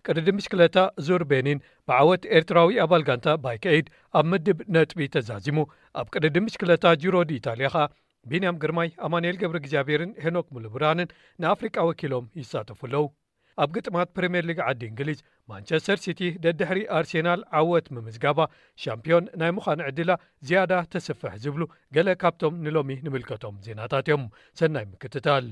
ቅድድም ብሽክለታ ዙር ቤኒን ብዓወት ኤርትራዊ ኣባል ጋንታ ባይክ ኤይድ ኣብ ምድብ ነጥቢ ተዛዚሙ። ኣብ ቅድድም ብሽክለታ ጂሮ ዲ ኢታልያ ኸኣ ቢንያም ግርማይ፣ ኣማኑኤል ገብረ እግዚኣብሔርን ሄኖክ ሙሉብርሃንን ንኣፍሪቃ ወኪሎም ይሳተፉ ኣለዉ። ኣብ ግጥማት ፕሪምየር ሊግ ዓዲ እንግሊዝ፣ ማንቸስተር ሲቲ ደድሕሪ ኣርሴናል ዓወት ምምዝጋባ፣ ሻምፒዮን ናይ ምዃን ዕድላ ዝያዳ ተስፍሕ ዝብሉ ገለ ካብቶም ንሎሚ ንምልከቶም ዜናታት እዮም። ሰናይ ምክትታል።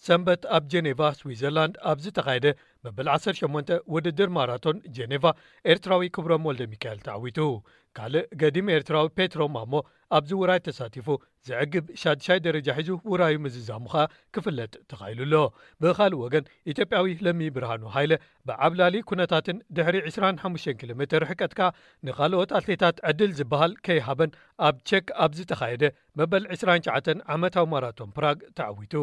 ሰንበት ኣብ ጀኔቫ ስዊዘርላንድ ኣብ ዝተኻየደ መበል ዓሰርተ ሸሞንተ ውድድር ማራቶን ጀኔቫ፣ ኤርትራዊ ክብሮም ወልደ ሚካኤል ተዓዊቱ። ካልእ ገዲም ኤርትራዊ ፔትሮ ማሞ ኣብዚ ውራይ ተሳቲፉ ዘዕግብ ሻድሻይ ደረጃ ሒዙ ውራዩ ምዝዛሙ ኸኣ ክፍለጥ ተኻኢሉ ኣሎ። ብኻልእ ወገን፣ ኢትዮጵያዊ ለሚ ብርሃኑ ሃይለ ብዓብላሊ ኩነታትን ድሕሪ ዕስራን ሓሙሽተን ኪሎ ሜትር ርሕቀት ከኣ ንኻልኦት ኣትሌታት ዕድል ዝበሃል ከይሃበን ኣብ ቼክ ኣብ ዝተኻየደ መበል ዕስራን ትሽዓተን ዓመታዊ ማራቶን ፕራግ ተዓዊቱ።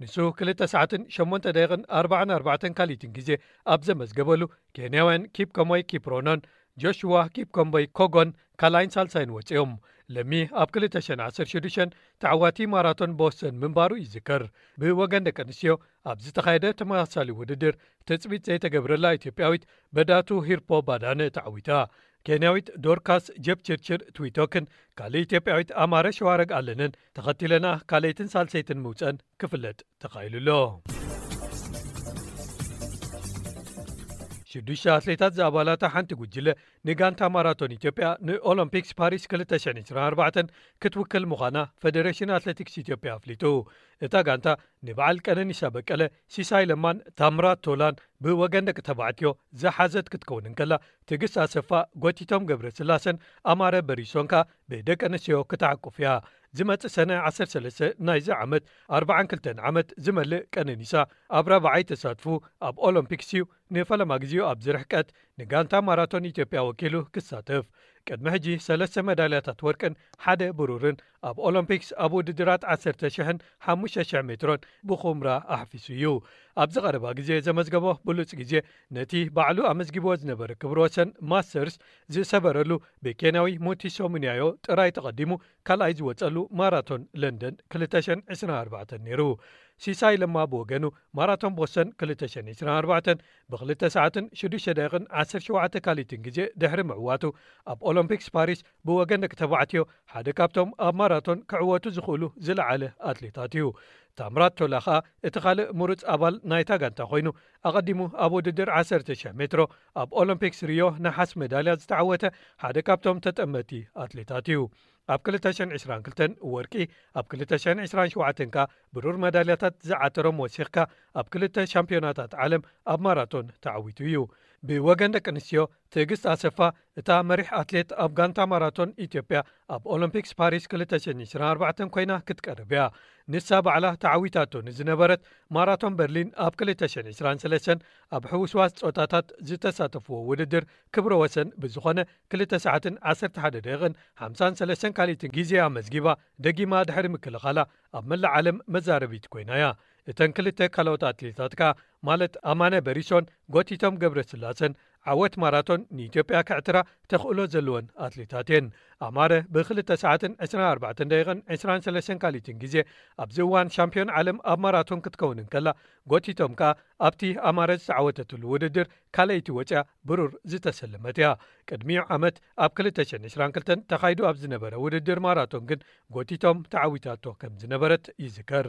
ንሱ ክልተ ሰዓትን ሸሞንተ ደቂቕን ኣርባዓን ኣርባዕተን ካልኢትን ግዜ ኣብ ዘመዝገበሉ፣ ኬንያውያን ኪፕኮሞይ ኪፕሮኖን ጆሽዋ ኪፕኮምቦይ ኮጎን ካልኣይን ሳልሳይን ወጺኦም። ለሚ ኣብ ክልተ ሽሕን ዓሰርተ ሽዱሽተን ተዓዋቲ ማራቶን ቦስተን ምንባሩ ይዝከር። ብወገን ደቂ ኣንስትዮ ኣብ ዝተኻየደ ተመሳሳሊ ውድድር ትጽቢት ዘይተገብረላ ኢትዮጵያዊት በዳቱ ሂርፖ ባዳነ ተዓዊታ። ኬንያዊት ዶርካስ ጀፕችርችር ትዊቶክን ካልእ ኢትዮጵያዊት ኣማረ ሸዋረግ ኣለንን ተኸቲለና ካልኣይትን ሳልሰይትን ምውፀን ክፍለጥ ተኻኢሉ ኣሎ። ሽዱሽተ ኣትሌታት ዝኣባላታ ሓንቲ ጉጅለ ንጋንታ ማራቶን ኢትዮጵያ ንኦሎምፒክስ ፓሪስ ክልተ ሽሕን ዕስራን ኣርባዕተን ክትውክል ምዃና ፌደሬሽን ኣትሌቲክስ ኢትዮጵያ ኣፍሊጡ። እታ ጋንታ ንበዓል ቀነኒሳ በቀለ፣ ሲሳይ ለማን ታምራት ቶላን ብወገን ደቂ ተባዕትዮ ዝሓዘት ክትከውን እንከላ፣ ትዕግስት ኣሰፋ፣ ጎቲቶም ገብረስላሰን ኣማረ በሪሶን ከኣ ብደቂ ኣንስትዮ ክትዓቁፍ እያ። ዝመጽእ ሰነ ዓሰርተ ሰለስተ ናይዚ ዓመት ኣርባዓን ክልተን ዓመት ዝመልእ ቀነኒሳ ኣብ ራብዓይ ተሳትፉ ኣብ ኦሎምፒክስ እዩ ንፈለማ ግዜኡ ኣብዚ ርሕቀት ንጋንታ ማራቶን ኢትዮጵያ ወኪሉ ክሳተፍ። ቅድሚ ሕጂ ሰለስተ መዳልያታት ወርቅን ሓደ ብሩርን ኣብ ኦሎምፒክስ ኣብ ውድድራት ዓሰርተ ሽሕን ሓሙሽተ ሽሕ ሜትሮን ብኹምራ ኣሕፊሱ እዩ። ኣብዚ ቀረባ ግዜ ዘመዝገቦ ብሉጽ ግዜ ነቲ ባዕሉ ኣመዝጊብዎ ዝነበረ ክብረ ወሰን ማስተርስ ዝሰበረሉ ብኬንያዊ ሙቲሶ ሙንያዮ ጥራይ ተቐዲሙ ካልኣይ ዝወጸሉ ማራቶን ለንደን ክልተ ሽሕን ዕስራን ኣርባዕተን ነይሩ። ሲሳይ ለማ ብወገኑ ማራቶን ቦስተን ክልተ ሽሕን ዕስራን ኣርባዕተን ብክልተ ሰዓትን ሽዱሽተ ደቂቕን ዓሰርተ ሸውዓተ ካልኢትን ግዜ ድሕሪ ምዕዋቱ ኣብ ኦሎምፒክስ ፓሪስ ብወገን ደቂ ተባዕትዮ ሓደ ካብቶም ኣብ ማራቶን ክዕወቱ ዝኽእሉ ዝለዓለ ኣትሌታት እዩ። ታምራት ቶላ ኸኣ እቲ ካልእ ምሩጽ ኣባል ናይታ ጋንታ ኮይኑ ኣቐዲሙ ኣብ ውድድር ዓሰርተ ሽሕ ሜትሮ ኣብ ኦሎምፒክስ ሪዮ ነሓስ ሜዳልያ ዝተዓወተ ሓደ ካብቶም ተጠመቲ ኣትሌታት እዩ። ኣብ ክልተ ሽሕን ዕስራን ክልተን ወርቂ፣ ኣብ ክልተ ሽሕን ዕስራን ሸውዓተን ከኣ ብሩር መዳልያታት ዝዓተሮም ወሲኽካ ኣብ ክልተ ሻምፒዮናታት ዓለም ኣብ ማራቶን ተዓዊቱ እዩ። ብወገን ደቂ ኣንስትዮ ትዕግስት ኣሰፋ እታ መሪሕ ኣትሌት ኣብ ጋንታ ማራቶን ኢትዮጵያ ኣብ ኦሎምፒክስ ፓሪስ ክልተ ሽሕን ዕስራን ኣርባዕተን ኮይና ክትቀርብ እያ። ንሳ ባዕላ ተዓዊታቶ ንዝነበረት ማራቶን በርሊን ኣብ ክልተ ሽሕን ዕስራን ሰለስተን ኣብ ሕውስዋስ ጾታታት ዝተሳተፍዎ ውድድር ክብረ ወሰን ብዝኾነ ክልተ ሰዓትን ዓሰርተ ሓደ ደቂቕን ሓምሳን ሰለስተን ካልኢትን ግዜ ኣመዝጊባ ደጊማ ድሕሪ ምክልኻላ ኣብ መላእ ዓለም መዛረቢት ኮይና እያ። እተን ክልተ ካልኦት ኣትሌታት ከኣ ማለት ኣማነ በሪሶን ጎቲቶም ገብረስላሰን ዓወት ማራቶን ንኢትዮጵያ ክዕትራ ተኽእሎ ዘለወን ኣትሌታት እየን። ኣማረ ብክልተ ሰዓትን ዕስራን ኣርባዕተን ደቂቕን ዕስራን ሰለስተን ካልኢትን ግዜ ኣብዚ እዋን ሻምፒዮን ዓለም ኣብ ማራቶን ክትከውን እንከላ ጎቲቶም ከኣ ኣብቲ ኣማረ ዝተዓወተትሉ ውድድር ካልኣይቲ ወጽያ ብሩር ዝተሰለመት እያ። ቅድሚኡ ዓመት ኣብ ክልተ ሽሕን ዕስራን ክልተን ተኻይዱ ኣብ ዝነበረ ውድድር ማራቶን ግን ጎቲቶም ተዓዊታቶ ከም ዝነበረት ይዝከር።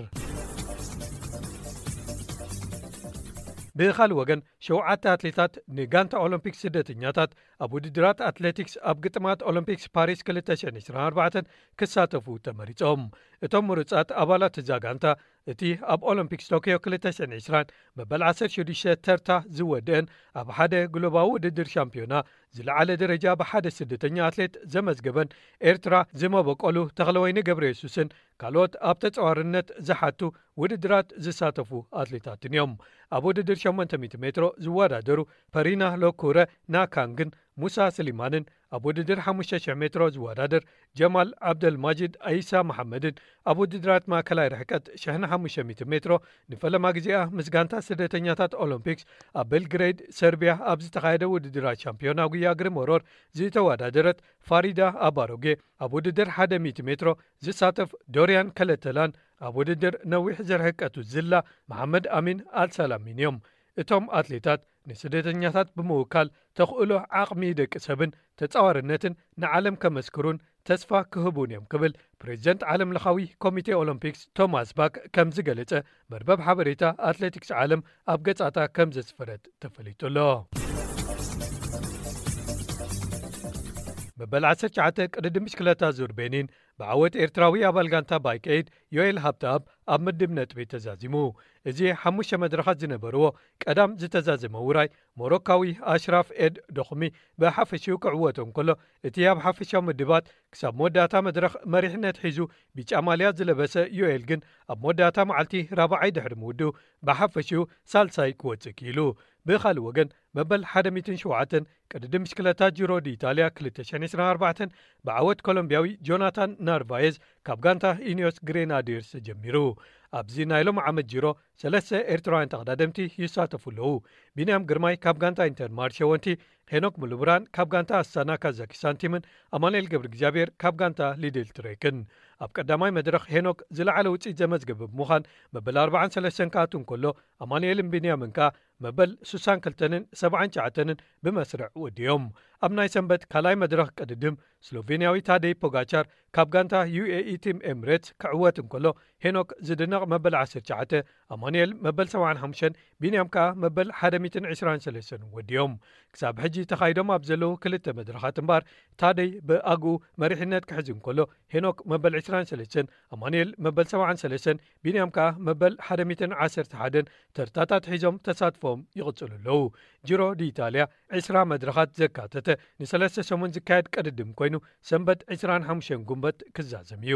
ብኻልእ ወገን ሸውዓተ ኣትሌታት ንጋንታ ኦሎምፒክ ስደተኛታት ኣብ ውድድራት ኣትሌቲክስ ኣብ ግጥማት ኦሎምፒክስ ፓሪስ ክልተ ሽሕን ዕስራን ኣርባዕተን ክሳተፉ ተመሪጾም። እቶም ምሩጻት ኣባላት እዛ ጋንታ እቲ ኣብ ኦሎምፒክስ ቶክዮ ክልተ ሽሕን ዕስራን መበል ዓሰርተ ሽዱሽተ ተርታ ዝወደአን ኣብ ሓደ ግሎባዊ ውድድር ሻምፒዮና ዝለዓለ ደረጃ ብሓደ ስደተኛ ኣትሌት ዘመዝገበን ኤርትራ ዝመበቆሉ ተኽለወይኒ ገብረ የሱስን ካልኦት ኣብ ተጻዋርነት ዝሓቱ ውድድራት ዝሳተፉ ኣትሌታትን እዮም። ኣብ ውድድር ሸሞንተ ሚእቲ ሜትሮ ዝወዳደሩ ፐሪና ሎኩረ ናካንግን ሙሳ ስሊማንን ኣብ ውድድር ሓሙሽተ ሽሕ ሜትሮ ዝወዳደር ጀማል ዓብደልማጂድ ኣይሳ መሓመድን ኣብ ውድድራት ማእከላይ ርሕቀት ሽሕን ሓሙሽተ ሚእቲ ሜትሮ ንፈለማ ግዜኣ ምስ ጋንታ ስደተኛታት ኦሎምፒክስ ኣብ ቤልግሬድ ሰርቢያ ኣብ ዝተኻየደ ውድድራት ሻምፒዮና ጉያ እግሪ መሮር ዝተወዳደረት ፋሪዳ ኣባሮጌ፣ ኣብ ውድድር ሓደ ሚእቲ ሜትሮ ዝሳተፍ ዶርያን ከለተላን ኣብ ውድድር ነዊሕ ዝርሕቀቱ ዝላ መሓመድ ኣሚን ኣልሳላሚን እዮም። እቶም ኣትሌታት ንስደተኛታት ብምውካል ተኽእሎ ዓቕሚ ደቂ ሰብን ተጻዋርነትን ንዓለም ከመስክሩን ተስፋ ክህቡን እዮም ክብል ፕሬዚደንት ዓለም ለኻዊ ኮሚቴ ኦሎምፒክስ ቶማስ ባክ ከም ዝገለጸ መርበብ ሓበሬታ ኣትሌቲክስ ዓለም ኣብ ገጻታ ከም ዘስፈረት ተፈሊጡ ኣሎ። መበል ዓሰርተ ትሽዓተ ቅድድም ብሽክለታ ዙር ቤኒን ብዓወት ኤርትራዊ ኣባል ጋንታ ባይክ ኤድ ዮኤል ሃብተኣብ ኣብ ምድብ ነጥቢ ተዛዚሙ። እዚ ሓሙሽተ መድረኻት ዝነበርዎ ቀዳም ዝተዛዘመ ውራይ፣ ሞሮካዊ ኣሽራፍ ኤድ ዶኽሚ ብሓፈሽኡ ክዕወት እንከሎ፣ እቲ ኣብ ሓፈሻዊ ምድባት ክሳብ መወዳእታ መድረኽ መሪሕነት ሒዙ ቢጫ ማልያ ዝለበሰ ዮኤል ግን፣ ኣብ መወዳእታ መዓልቲ ራብዓይ ድሕሪ ምውድኡ፣ ብሓፈሽኡ ሳልሳይ ክወጽእ ክኢሉ። ብኻልእ ወገን፣ መበል ሓደ ሚእትን ሸውዓተን ቅድድም ብሽክለታ ጂሮ ዲ ኢጣልያ ክልተ ሽሕን ዕስራን ኣርባዕተን ብዓወት ኮሎምቢያዊ ጆናታን ናርቫየዝ ካብ ጋንታ ኢኒዮስ ግሬናዲርስ ተጀሚሩ። ኣብዚ ናይ ሎም ዓመት ጂሮ ሰለስተ ኤርትራውያን ተቐዳደምቲ ይሳተፉ ኣለዉ። ቢንያም ግርማይ ካብ ጋንታ ኢንተር ማርሸ ወንቲ፣ ሄኖክ ሙሉብራን ካብ ጋንታ ኣስታና ካዛኪስታን ቲምን ኣማኑኤል ገብረ እግዚኣብሔር ካብ ጋንታ ሊድል ትሬክን። ኣብ ቀዳማይ መድረኽ ሄኖክ ዝለዓለ ውፅኢት ዘመዝገበ ብምዃን መበል ኣርባዓን ሰለስተን ክኣቱ እንከሎ፣ ኣማኑኤልን ቢንያምን ከኣ መበል ስሳን ክልተን ሰብዓን ትሽዓተን ብመስርዕ ወዲኦም። ኣብ ናይ ሰንበት ካልኣይ መድረኽ ቅድድም፣ ስሎቬንያዊ ታደይ ፖጋቻር ካብ ጋንታ ዩ ኤ ኢ ቲም ኤምሬትስ ክዕወት እንከሎ፣ ሄኖክ ዝድነቕ መበል ዓሰርተ ትሽዓተ፣ ኣማኑኤል መበል ሰብዓን ሓሙሽተን፣ ቢንያም ከኣ መበል ሓደ ሚእትን ዕስራን ሰለስተን ወዲኦም። ክሳብ ሕጂ ተኻይዶም ኣብ ዘለዉ ክልተ መድረኻት እምበኣር፣ ታደይ ብኣግኡ መሪሕነት ክሕዝ እንከሎ፣ ሄኖክ መበል ዕስራን ሰለስተን፣ ኣማኑኤል መበል ሰብዓን ሰለስተን፣ ቢንያም ከኣ መበል ሓደ ሚእትን ዓሰርተ ሓደን ተርታታት ሒዞም ተሳትፎም ይቕጽሉ ኣለዉ። ጂሮ ዲ ኢጣልያ ዕስራ መድረኻት ዘካተተ ንሰለስተ ሰሙን ዝካየድ ቅድድም ኮይኑ፣ ሰንበት ዕስራን ሓሙሽተን ጉንበት ክዛዘም እዩ።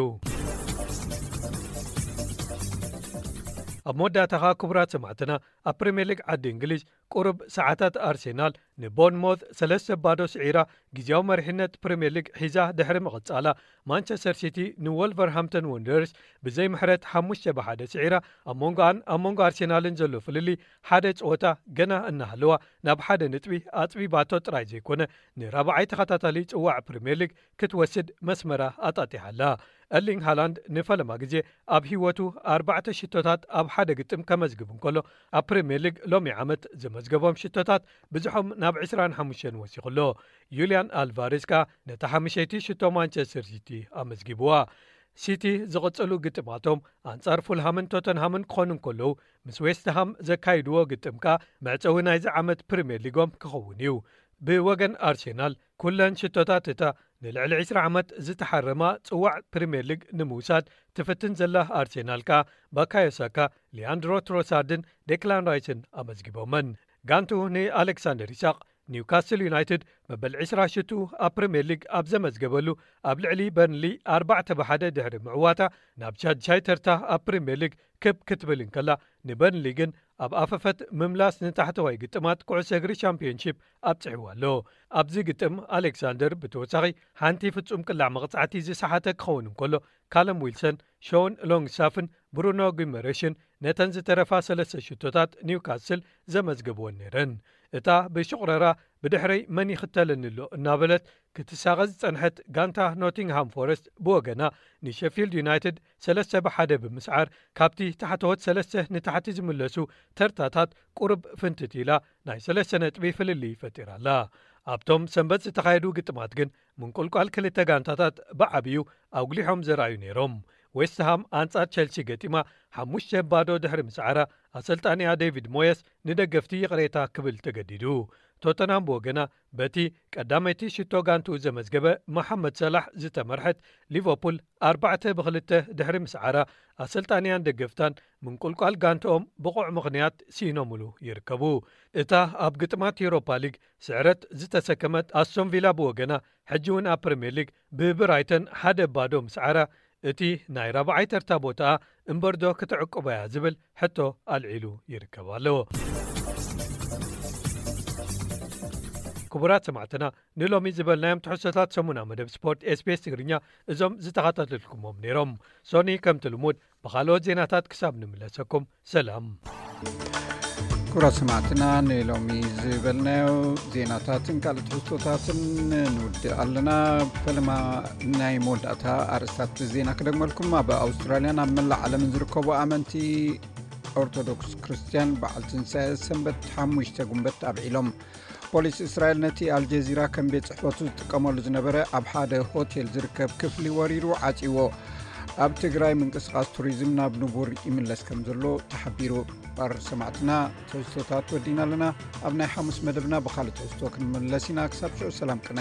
ኣብ መወዳእታ ኸኣ፣ ክቡራት ሰማዕትና፣ ኣብ ፕሪምየር ሊግ ዓዲ እንግሊዝ፣ ቁሩብ ሰዓታት ኣርሴናል ንቦርንሞዝ ሰለስተ ባዶ ስዒራ፣ ግዜያዊ መሪሕነት ፕሪምየር ሊግ ሒዛ ድሕሪ ምቕጻላ፣ ማንቸስተር ሲቲ ንወልቨርሃምፕተን ወንደርስ ብዘይ ምሕረት ሓሙሽተ ብሓደ ስዒራ፣ ኣብ መንጎኣን ኣብ መንጎ ኣርሴናልን ዘሎ ፍልልይ ሓደ ጸወታ ገና እናሃለዋ፣ ናብ ሓደ ነጥቢ ኣጽቢባቶ ጥራይ ዘይኮነ፣ ንራብዓይ ተኸታታሊ ጽዋዕ ፕሪምየር ሊግ ክትወስድ መስመራ ኣጣጢሓ ኣላ። ኤርሊንግ ሃላንድ ንፈለማ ግዜ ኣብ ህይወቱ ኣርባዕተ ሽቶታት ኣብ ሓደ ግጥም ከመዝግብ እንከሎ፣ ኣብ ፕሪምየር ሊግ ሎሚ ዓመት ዘመዝገቦም ሽቶታት ብዝሖም ናብ ዕስራን ሓሙሽተን ወሲኹ ኣሎ። ዩልያን ኣልቫሬዝ ከኣ ነታ ሓሙሸይቲ ሽቶ ማንቸስተር ሲቲ ኣመዝጊብዋ። ሲቲ ዝቕጽሉ ግጥማቶም ኣንጻር ፉልሃምን ቶተንሃምን ክኾኑ እንከለዉ፣ ምስ ዌስትሃም ዘካይድዎ ግጥም ከኣ መዕጸዊ ናይዚ ዓመት ፕሪምየር ሊጎም ክኸውን እዩ። ብወገን ኣርሴናል፣ ኩለን ሽቶታት እታ ንልዕሊ ዕስራ ዓመት ዝተሓረማ ጽዋዕ ፕሪምየር ሊግ ንምውሳድ ትፍትን ዘላ ኣርሴናል ከኣ፣ ባካዮ ሳካ፣ ሊያንድሮ ትሮሳርድን ዴክላን ራይስን ኣመዝጊቦመን። ጋንቱ ንኣሌክሳንደር ኢሳቕ፣ ኒውካስል ዩናይትድ መበል ዕስራ ሽቱ ኣብ ፕሪምየር ሊግ ኣብ ዘመዝገበሉ፣ ኣብ ልዕሊ በርንሊ ኣርባዕተ ብሓደ ድሕሪ ምዕዋታ፣ ናብ ሻድሻይ ተርታ ኣብ ፕሪምየር ሊግ ክብ ክትብል እንከላ፣ ንበርንሊ ግን ኣብ ኣፈፈት ምምላስ ንታሕተዋይ ግጥማት ኩዕሶ እግሪ ሻምፒዮንሺፕ ኣብጽሕዋ ኣሎ። ኣብዚ ግጥም፣ ኣሌክሳንደር ብተወሳኺ ሓንቲ ፍጹም ቅላዕ መቕጻዕቲ ዝሰሓተ ክኸውን እንከሎ፣ ካለም ዊልሰን፣ ሾን ሎንግስታፍን ብሩኖ ጊመሬሽን ነተን ዝተረፋ ሰለስተ ሽቶታት ኒውካስል ዘመዝገብወን ነይረን። እታ ብሽቑረራ ብድሕረይ መን ይኽተለኒ ኣሎ እናበለት ክትሳቐ ዝጸንሐት ጋንታ ኖቲንግሃም ፎረስት ብወገና፣ ንሸፊልድ ዩናይትድ ሰለስተ ብሓደ ብምስዓር፣ ካብቲ ታሕተዎት ሰለስተ ንታሕቲ ዝምለሱ ተርታታት ቁሩብ ፍንትት ኢላ፣ ናይ ሰለስተ ነጥቢ ፍልልይ ፈጢራ ኣላ። ኣብቶም ሰንበት ዝተኻየዱ ግጥማት ግን፣ ምንቁልቋል ክልተ ጋንታታት ብዓብዩ ኣጉሊሖም ዘርኣዩ ነይሮም። ዌስትሃም ኣንጻር ቸልሲ ገጢማ፣ ሓሙሽተ ባዶ ድሕሪ ምስዓራ፣ ኣሰልጣኒኣ ዴቪድ ሞየስ ንደገፍቲ ይቕሬታ ክብል ተገዲዱ። ቶተንሃም ብወገና፣ በቲ ቀዳመይቲ ሽቶ ጋንትኡ ዘመዝገበ መሓመድ ሰላሕ ዝተመርሐት ሊቨርፑል ኣርባዕተ ብክልተ ድሕሪ ምስዓራ፣ ኣሰልጣኒያን ደገፍታን ምንቁልቋል ጋንትኦም ብቑዕ ምኽንያት ስኢኖምሉ ይርከቡ። እታ ኣብ ግጥማት ዩሮፓ ሊግ ስዕረት ዝተሰከመት ኣስቶን ቪላ ብወገና፣ ሕጂ እውን ኣብ ፕሪምየር ሊግ ብብራይተን ሓደ ባዶ ምስዓራ፣ እቲ ናይ ራብዓይ ተርታ ቦታኣ እምበርዶ ክትዕቅቦ እያ ዝብል ሕቶ ኣልዒሉ ይርከብ ኣሎ። ክቡራት ሰማዕትና፣ ንሎሚ ዝበልናዮም ትሕዝቶታት ሰሙና መደብ ስፖርት ኤስ ቢ ኤስ ትግርኛ እዞም ዝተኸታተልኩሞም ነይሮም። ሶኒ፣ ከምቲ ልሙድ፣ ብኻልኦት ዜናታት ክሳብ ንምለሰኩም፣ ሰላም። ክቡራት ሰማዕትና፣ ንሎሚ ዝበልናዮ ዜናታትን ካልእ ትሕዝቶታትን ንውድእ ኣለና። ፈለማ ናይ መወዳእታ ኣርእስታት ዜና ክደግመልኩም። ኣብ ኣውስትራልያን ኣብ መላእ ዓለምን ዝርከቡ ኣመንቲ ኦርቶዶክስ ክርስትያን በዓል ትንሳኤ ሰንበት ሓሙሽተ ጉንበት ኣብዒሎም። ፖሊስ እስራኤል ነቲ ኣልጀዚራ ከም ቤት ጽሕፈቱ ዝጥቀመሉ ዝነበረ ኣብ ሓደ ሆቴል ዝርከብ ክፍሊ ወሪሩ ዓጽይዎ። ኣብ ትግራይ ምንቅስቓስ ቱሪዝም ናብ ንቡር ይምለስ ከም ዘሎ ተሓቢሩ። ክቡር ሰማዕትና፣ ትሕዝቶታት ወዲና ኣለና። ኣብ ናይ ሓሙስ መደብና ብኻልእ ትሕዝቶ ክንምለስ ኢና። ክሳብ ሽዑ ሰላም ቅነ።